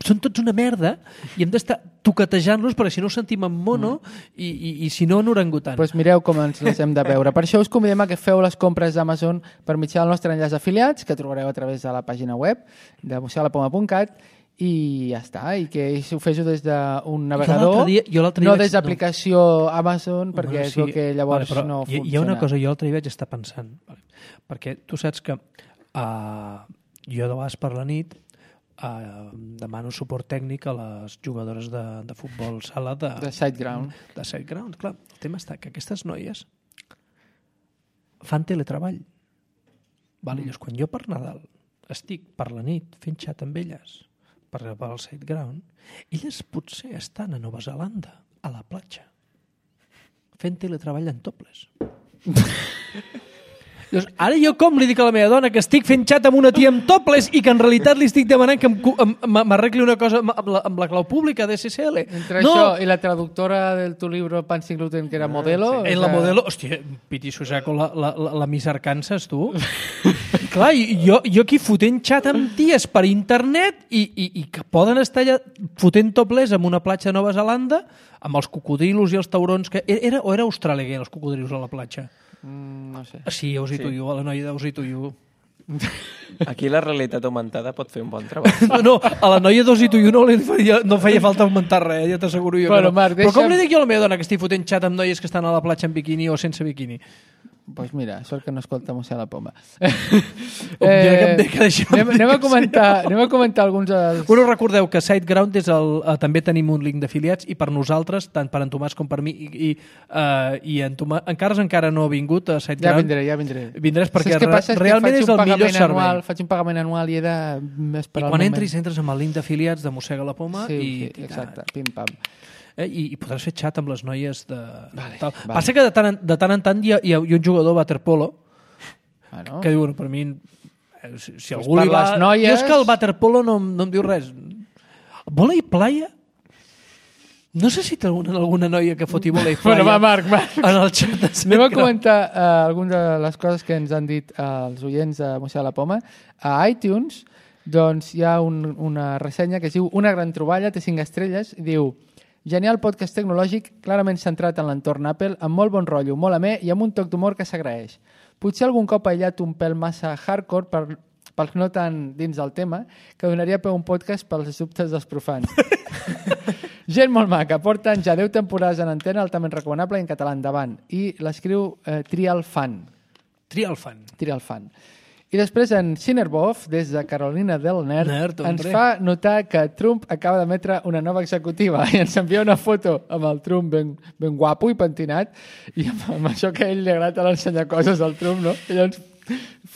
són tots una merda i hem d'estar toquetejant-los perquè si no ho sentim en mono mm. i, i, i si no en orangutan. Doncs pues mireu com ens les hem de veure. Per això us convidem a que feu les compres d'Amazon per mitjà del nostre enllaç d'afiliats, que trobareu a través de la pàgina web de mosegalapoma punt cat i ja està, i que ho fes des d'un navegador, dia, jo dia no vaig... des d'aplicació no. Amazon, perquè bueno, sí. És el que llavors vale, no hi, funciona. Hi ha una cosa, jo l'altre dia vaig estar pensant, vale? Perquè tu saps que uh, jo de vegades per la nit uh, demano suport tècnic a les jugadores de, de futbol sala de, de sideground. De sideground, clar. El tema està que aquestes noies fan teletreball. Vale, mm. Quan jo per Nadal estic per la nit fent xat amb elles per al sideground, elles potser estan a Nova Zelanda, a la platja, fent teletreball en topless. Llavors, ara jo com li dic a la meva dona que estic fent xat amb una tia amb topless i que en realitat li estic demanant que m'arregli una cosa amb la, amb la clau pública de S S L. Entre no. Això i la traductora del tu libro Pan sin gluten, que era Modelo. Sí. En la Modelo, hòstia, piti susaco, la, la, la, la Miss Arkansas, tu. Clar, jo, jo aquí fotent xat amb ties per internet i, i, i que poden estar allà fotent topless en una platja de Nova Zelanda amb els cocodrilos i els taurons que... Era, o era Austràlia que hi ha els cocodrilos a la platja? Mm, no sé. Sí, Aussie sí. To You, a la noia d'Aussie To You. Aquí la realitat augmentada pot fer un bon treball. No, no, a la noia d'Aussie To You no, li feia, no feia falta augmentar res, ja t'asseguro jo. Bueno, que no. Marc, Però deixa'm... com li dic jo a la meva dona que estic fotent xat amb noies que estan a la platja en biquini o sense biquini? pues mira, sort que no escolta Mossèn la Poma. eh, anem, anem, a comentar, anem a comentar alguns dels... Bueno, recordeu que SiteGround és el, eh, també tenim un link d'afiliats i per nosaltres, tant per en Tomàs com per mi, i, i, uh, i en Tomàs, encara encara no ha vingut a SiteGround. Ja vindré, ja vindré. Vindràs perquè que passa és realment que és el millor servei. Anual, faig un pagament anual i he de esperar I quan el entris, entres amb el link d'afiliats de Mossega la Poma sí, i... Sí, exacte, pim-pam. Eh, i, i podràs fer xat amb les noies de... Vale, tal. vale. Passa que de tant, en, de tant en tant hi ha, hi ha un jugador waterpolo bueno. que diu, bueno, per mi eh, si, si algú per li va... les noies... Jo és que el waterpolo no, no em diu res. Bola i playa? No sé si té alguna, alguna noia que foti bola i playa. Bueno, va, Marc, Marc. En el xat de Anem a comentar uh, algunes de les coses que ens han dit uh, els oients de Mossega la Poma. A iTunes doncs, hi ha un, una ressenya que es diu Una gran troballa, té cinc estrelles, i diu: genial podcast tecnològic, clarament centrat en l'entorn Apple, amb molt bon rotllo, molt amè i amb un toc d'humor que s'agraeix. Potser algun cop aïllat un pèl massa hardcore per, pels no tan dins del tema, que donaria peu un podcast pels dubtes dels profans. Gent molt maca, porten ja deu temporades en antena, altament recomanable i en català, endavant. I l'escriu eh, Trial Fan. Trial Fan. Trial Fan. I després en Cinerbov, des de Carolina del Nerd, Nerd ens fa notar que Trump acaba d'emetre una nova executiva i ens envia una foto amb el Trump ben, ben guapo i pentinat i amb, amb això que a ell li agrada l'ensenyar coses al Trump, no? I llavors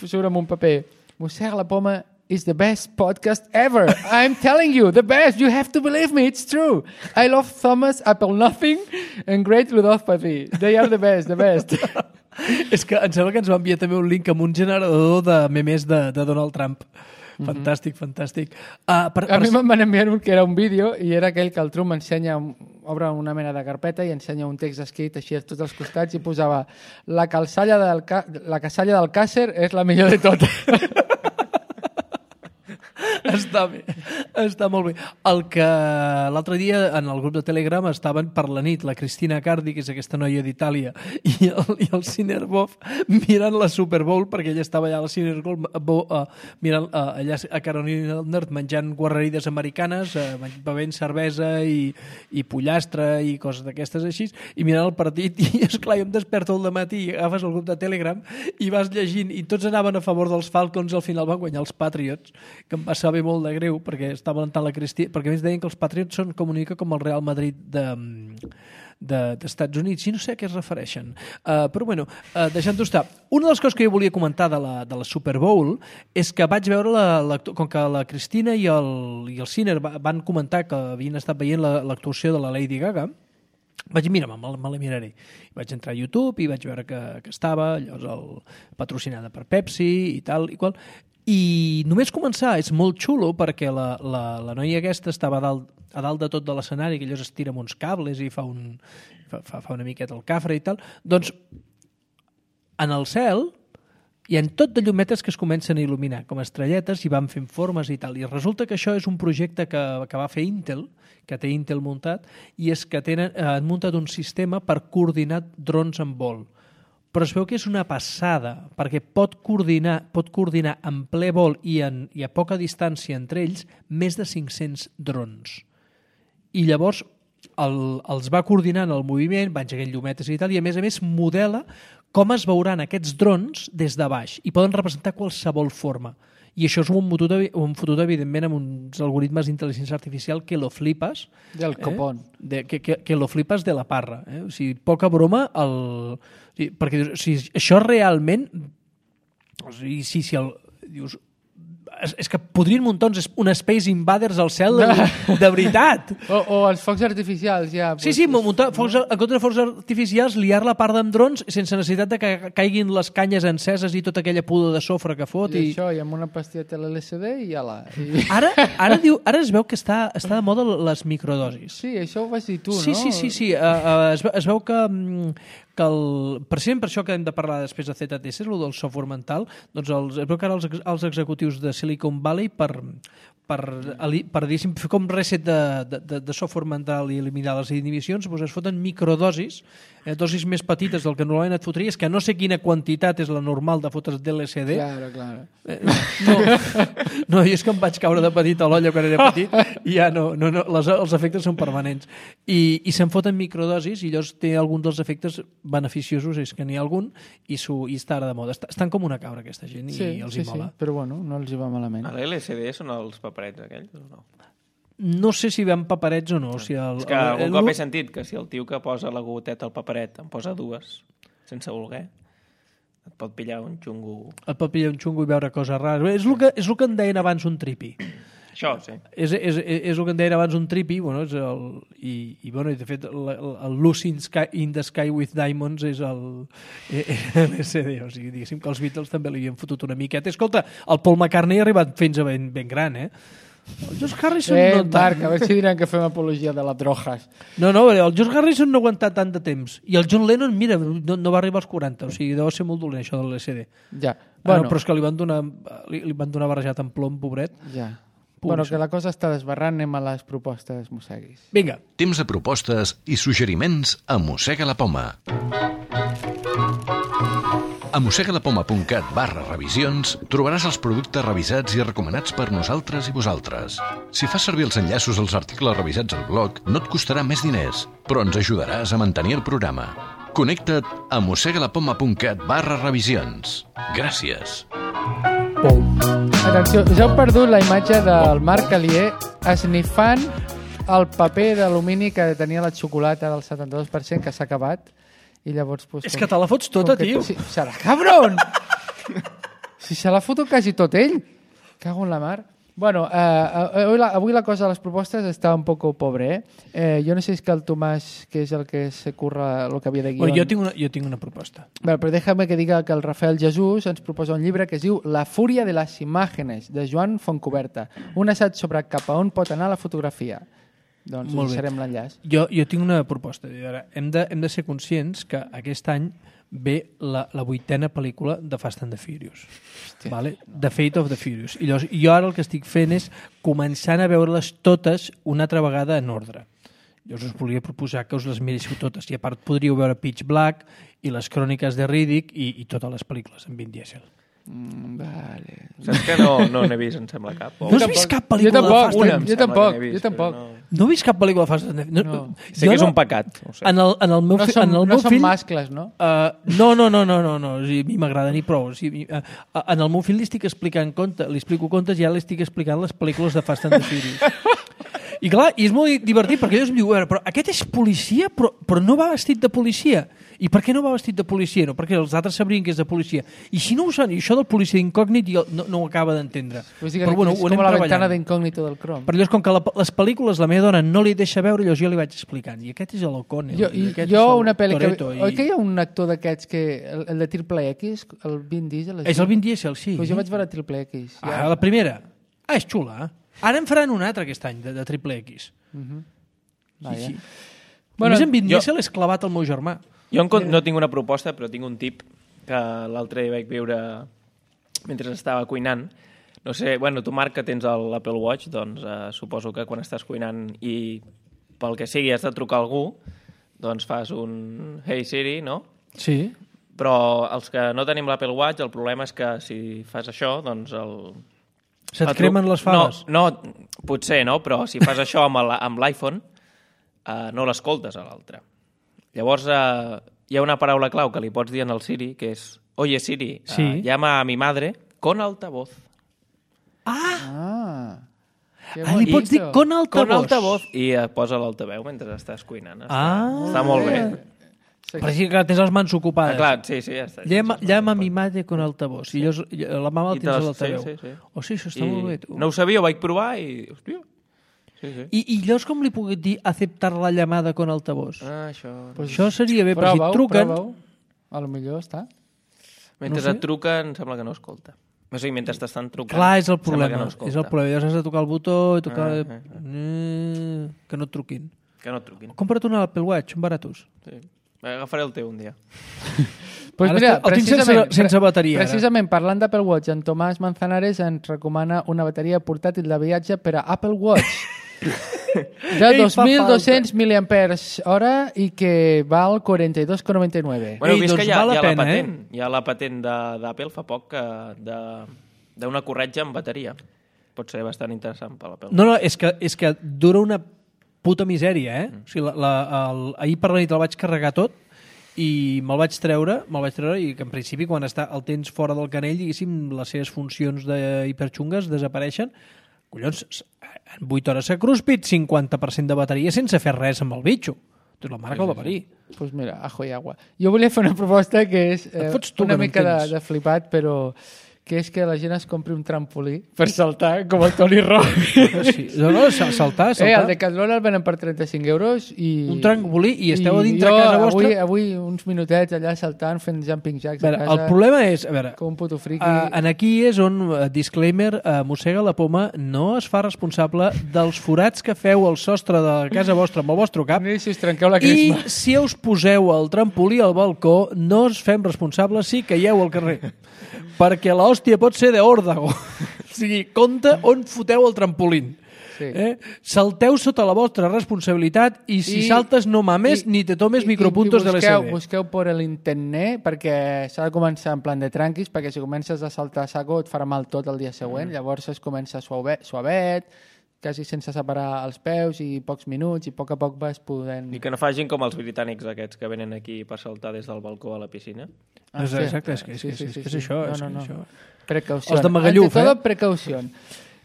surt amb un paper. Mossega la Poma is the best podcast ever. I'm telling you, the best. You have to believe me, it's true. I love Thomas Apple Nothing and Great Rudolph Pathy. They are the best, the best. És que em sembla que ens va enviar també un link amb un generador de memes de, de Donald Trump. Fantàstic, mm-hmm. fantàstic. Uh, per, a per... mi me'n van enviar un que era un vídeo i era aquell que el Trump ensenya, obre una mena de carpeta i ensenya un text escrit així a tots els costats i posava la calçalla del, ca... la casalla del Càcer és la millor de totes. Està bé, està molt bé. El que l'altre dia en el grup de Telegram estaven per la nit la Cristina Cardi, que és aquesta noia d'Itàlia, i el, i el Cinerbov mirant la Super Bowl, perquè ella estava allà a la Super Bowl uh, mirant uh, allà a Carolina del Nord menjant guarrerides americanes, uh, bevent cervesa i, i pollastre i coses d'aquestes així, i mirant el partit, i esclar, jo em desperto al matí i agafes el grup de Telegram i vas llegint, i tots anaven a favor dels Falcons i al final van guanyar els Patriots, que em va saber molt de greu perquè estava alentant la Cristina, perquè a més deien que els Patriots són com una mica com el Real Madrid de, de, d'Estats Units, i no sé a què es refereixen. Uh, però bueno, uh, deixant-ho estar. Una de les coses que jo volia comentar de la, de la Super Bowl és que vaig veure, la, la, com que la Cristina i el, i el Ciner van comentar que havien estat veient la, l'actuació de la Lady Gaga, vaig dir, mira, me, me la miraré. Vaig entrar a YouTube i vaig veure que, que estava llavors el, patrocinada per Pepsi i tal i qual. I només començar és molt xulo perquè la, la, la noia aquesta estava a dalt, a dalt de tot de l'escenari, que llavors es tira amb uns cables i fa, un, fa, fa una miqueta el cafre i tal. Doncs en el cel hi ha tot de llumetes que es comencen a il·luminar com estrelletes i van fent formes i tal. I resulta que això és un projecte que, que va fer Intel, que té Intel muntat, i és que tenen, han muntat un sistema per coordinar drons en vol. Però es veu que és una passada, perquè pot coordinar, pot coordinar en ple vol i, en, i a poca distància entre ells més de cinc-cents drons. I llavors el, els va coordinant el moviment, va engegar llumetes i tal, i a més a més modela com es veuran aquests drons des de baix i poden representar qualsevol forma. I això és un fotut, un fotut evidentment, amb uns algoritmes d'intel·ligència artificial que lo flipes. Del copón. Eh? De, que, que, que lo flipes de la parra. Eh? O sigui, poca broma, el... o sigui, perquè o sigui, això realment... O sigui, si, si el... Dius, és, és que podrien muntar uns, un Space Invaders al cel de, de veritat. O, o els focs artificials, ja. Sí, sí, muntar focs, en contra de focs artificials, liar la part amb drons sense necessitat de que caiguin les canyes enceses i tota aquella pudor de sofre que fot. I, I... això, i amb una pastilleta L S D i ja la... I... Ara, ara, diu, ara es veu que està, està de moda les microdosis. Sí, això ho vas dir tu, sí, no? Sí, sí, sí. Uh, uh, es, es veu que... Um, que el, precisament per això que hem de parlar després de Z T C, el del software mental, doncs els, es veu que ara els, els executius de Silicon Valley per, per, per fer com reset de, de, de software mental i eliminar les inhibicions, doncs es foten microdosis, eh, dosis més petites del que normalment et fotries, que no sé quina quantitat és la normal de fotre's d'L S D. Claro, claro. Eh, no, no, jo és que em vaig caure de petit a l'olla quan era petit i ja no, no, no les, els efectes són permanents. i, i se'n foten microdosis i llavors té algun dels efectes beneficiosos, és que n'hi ha algun, i, su, i està ara de moda. Estan com una cabra, aquesta gent, sí, i els sí, hi mola. Sí, però bueno, no els hi va malament. A l'L C D són els paperets aquells o no? No sé si van paperets o no. O sigui, el, És que algun el, cop he sentit que si el tio que posa la goteta al paperet en posa dues, sense voler, et pot pillar un xungo... Et pot pillar un xungo i veure coses rares. És el que, és el que en deien abans un tripi. Això, sí. És, és, és el que en deien abans un tripi, bueno, és el, i, i, bueno, i de fet el, el Lucy in, Sky, in the Sky with Diamonds és el L S D, o sigui, diguéssim que els Beatles també li havien fotut una miqueta. Escolta, el Paul McCartney ha arribat fins a ben, ben gran, eh? El George Harrison Eh, no Marc, tant. a veure si diran que fem apologia de les drogues. No, no, el George Harrison no ha aguantat tant de temps. I el John Lennon, mira, no, no va arribar als quaranta, o sigui, deu ser molt dolent això de l'L S D. Ja, Bueno, bueno, ah, no, però és que li van donar, li, li van donar barrejat en plom, pobret. ja. Bueno, que la cosa està desbarrant, anem a les propostes mosseguis. Vinga. Temps de propostes i suggeriments a Mossega la Poma. A mossegalapoma.cat barra revisions trobaràs els productes revisats i recomanats per nosaltres i vosaltres. Si fas servir els enllaços als articles revisats al blog, no et costarà més diners, però ens ajudaràs a mantenir el programa. Connecta't a mossegalapoma.cat barra revisions. Gràcies. Atenció, us heu perdut la imatge del Marc Alier esnifant el paper d'alumini que tenia la xocolata del setanta-dos per cent que s'ha acabat i llavors... Pues, És que te la fots tota, que, tio. Si, serà cabron! Si se la foto quasi tot ell. Cago en la mar. Bueno, eh, avui, la, avui la cosa de les propostes està un poco pobre, eh? eh jo no sé si és que el Tomàs, que és el que se curra el que havia de guion... Bueno, jo, tinc una, jo tinc una proposta. Bueno, però déjame que diga que el Rafael Jesús ens proposa un llibre que es diu La fúria de les imágenes, de Joan Fontcoberta. Un assaig sobre cap a on pot anar la fotografia. Doncs Molt bé. deixarem l'enllaç. Jo, jo tinc una proposta. Ara, hem, de, hem de ser conscients que aquest any ve la, la vuitena pel·lícula de Fast and the Furious. Vale? The Fate of the Furious. I llavors, jo ara el que estic fent és començant a veure-les totes una altra vegada en ordre. Llavors us volia proposar que us les miréssiu totes. I a part podríeu veure Pitch Black i les cròniques de Riddick i, i totes les pel·lícules en Vin Diesel. Mm, vale. Saps que no, no n'he vist, em sembla, cap. O... No has vist cap Jo pel·lícula tampoc, de Fast una, and jo tampoc, jo tampoc. No... No he vist cap pel·lícula de Fast and the Furious. No. Sé que és un pecat. No sé. En el, en el meu, No fi- som, en el no meu som fill... mascles, no? Uh, no, no, no, no, no, no. O sigui, a mi m'agrada ni prou. O sigui, uh, en el meu fill li estic explicant contes, li explico contes i ja li estic explicant les pel·lícules de Fast and the Furious. I clar, i és molt divertit perquè ell em diu, però aquest és policia, però, però no va vestit de policia. I per què no va vestit de policia? No, perquè els altres sabrien que és de policia. I si no ho saben, i això del policia incògnit no, no ho acaba d'entendre. Vull dir que Però bueno, és ho com anem la treballant. ventana d'incògnito del Chrome. Però llavors, com que la, les pel·lícules la meva dona no li deixa veure, llavors jo li vaig explicant. I aquest és l'Ocone. Jo, i, aquest jo és el una pel·li que... Toretto, Oi i... que hi ha un actor d'aquests que... El, el de Triple X, el Vin Diesel... És el Vin Diesel, sí. Pues jo vaig veure Triple X. Ah, la primera. Ah, és xula. Ara en faran una altra aquest any, de, de Triple X. Vaja. Sí, sí. Bueno, Bueno, en Vin jo- Diesel és clavat al meu germà. Jo en con- no tinc una proposta, però tinc un tip que l'altre dia vaig veure mentre estava cuinant. No sé, bueno, tu, Marc, que tens l'Apple Watch, doncs eh, suposo que quan estàs cuinant i pel que sigui has de trucar a algú, doncs fas un Hey Siri, no? Sí. Però els que no tenim l'Apple Watch, el problema és que si fas això, doncs el... Se't el tru- cremen les faves? No, no, potser no, però si fas això amb el- amb l'iPhone, eh, no l'escoltes a l'altre. Llavors, eh, hi ha una paraula clau que li pots dir en el Siri, que és Oye Siri, Sí. eh, llama a mi madre con altavoz. Ah. Qué Ah, li pots dir bonito. con altavoz. Con altavoz. I eh, posa l'altaveu mentre estàs cuinant. Està, Ah. està molt bé. Però sí que tens les mans Ah, ocupades. clar, sí, sí, ja està. Llama, llama a mi madre con altavoz. I llavors, la mama la I tens a te les- l'altaveu. sí, sí, sí. Oh, sí, això està I molt bé, tu. no ho sabia, ho vaig provar i... Hòstia. Sí, sí. I, I llavors com li puc dir aceptar la llamada con altavoz? Ah, això... Pues Això seria bé, però si prova-ho, et truquen... prova-ho. A lo millor està. Mentre no sé. et truquen, sembla que no escolta. O sigui, mentre t'estan trucant... Clar, és el sembla problema. Que no escolta. és el problema. Llavors has de tocar el botó i tocar... Ah, Ah, ah, ah. mm, que no et truquin. Que no et truquin. Compra't un Apple Watch, són baratos. Sí. Agafaré el teu un dia. Pues Ara mira, el tinc sense- precisament, sense bateria, ara. Precisament, parlant d'Apple Watch, en Tomàs Manzanares ens recomana una bateria portàtil de viatge per a Apple Watch de Ei, dos mil fa dos-cents miliampers hora i que val quaranta-dos coma noranta-nou. Bueno, Ei, he vist doncs que hi ha, val la hi ha pena, la patent. Hi ha la patent de- d'Apple fa poc que de- d'una corretja amb bateria. Pot ser bastant interessant per l'Apple. No, no, és que, és que dura una puta misèria, eh? O sigui, la, la, el, ahir per la nit el vaig carregar tot i me'l vaig treure, me'l vaig treure i que en principi quan està el tens fora del canell, diguéssim, les seves funcions d'hiperxungues desapareixen. Collons, en vuit hores s'ha cruspit cinquanta per cent de bateria sense fer res amb el bitxo. Tu la mare que el va parir. Doncs pues mira, ajo i agua. Jo volia fer una proposta que és eh, una mica de, de flipat, però que és que la gent es compri un trampolí per saltar, com el Tony Robbins. Sí. No, no, saltar, saltar. Eh, el Decathlon el venen per trenta-cinc euros i... Un trampolí i esteu i a dintre jo, casa vostra... Avui, avui uns minutets allà saltant, fent jumping jacks a, a veure, casa. El problema és... A veure, com un puto friqui. Uh, en aquí és on, uh, disclaimer, uh, Mossega la Poma no es fa responsable dels forats que feu al sostre de casa vostra amb el vostre cap. Ni si us trenqueu la crisma. I si us poseu el trampolí al balcó, no us fem responsables si caieu al carrer. Perquè l'hòstia pot ser d'òrdago. O sigui, compte on foteu el trampolín. Sí. Eh? Salteu sota la vostra responsabilitat i si I, saltes no mames i, ni te tomes i, micropuntos i, i busqueu, de l'S D. Busqueu per l'internet perquè s'ha de començar en plan de tranquis, perquè si comences a saltar a saco et farà mal tot el dia següent. Mm. Llavors es comença suavet, suavet, quasi sense separar els peus i pocs minuts i a poc a poc vas podent... I que no facin com els britànics aquests que venen aquí per saltar des del balcó a la piscina. Ah, sí. Exacte, és que és, sí, sí, sí, és, sí, és això. No, no, no. És això. Precaució. Els de Magalluf, Ante todo, eh? precaució.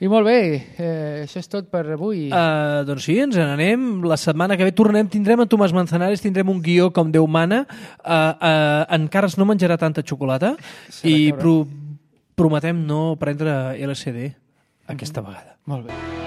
I molt bé, eh, això és tot per avui. Uh, doncs sí, ens n'anem. La setmana que ve tornem, tindrem en Tomàs Manzanares, tindrem un guió com Déu mana. Uh, uh, encara no menjarà tanta xocolata i pro prometem no prendre L S D aquesta vegada. Molt bé.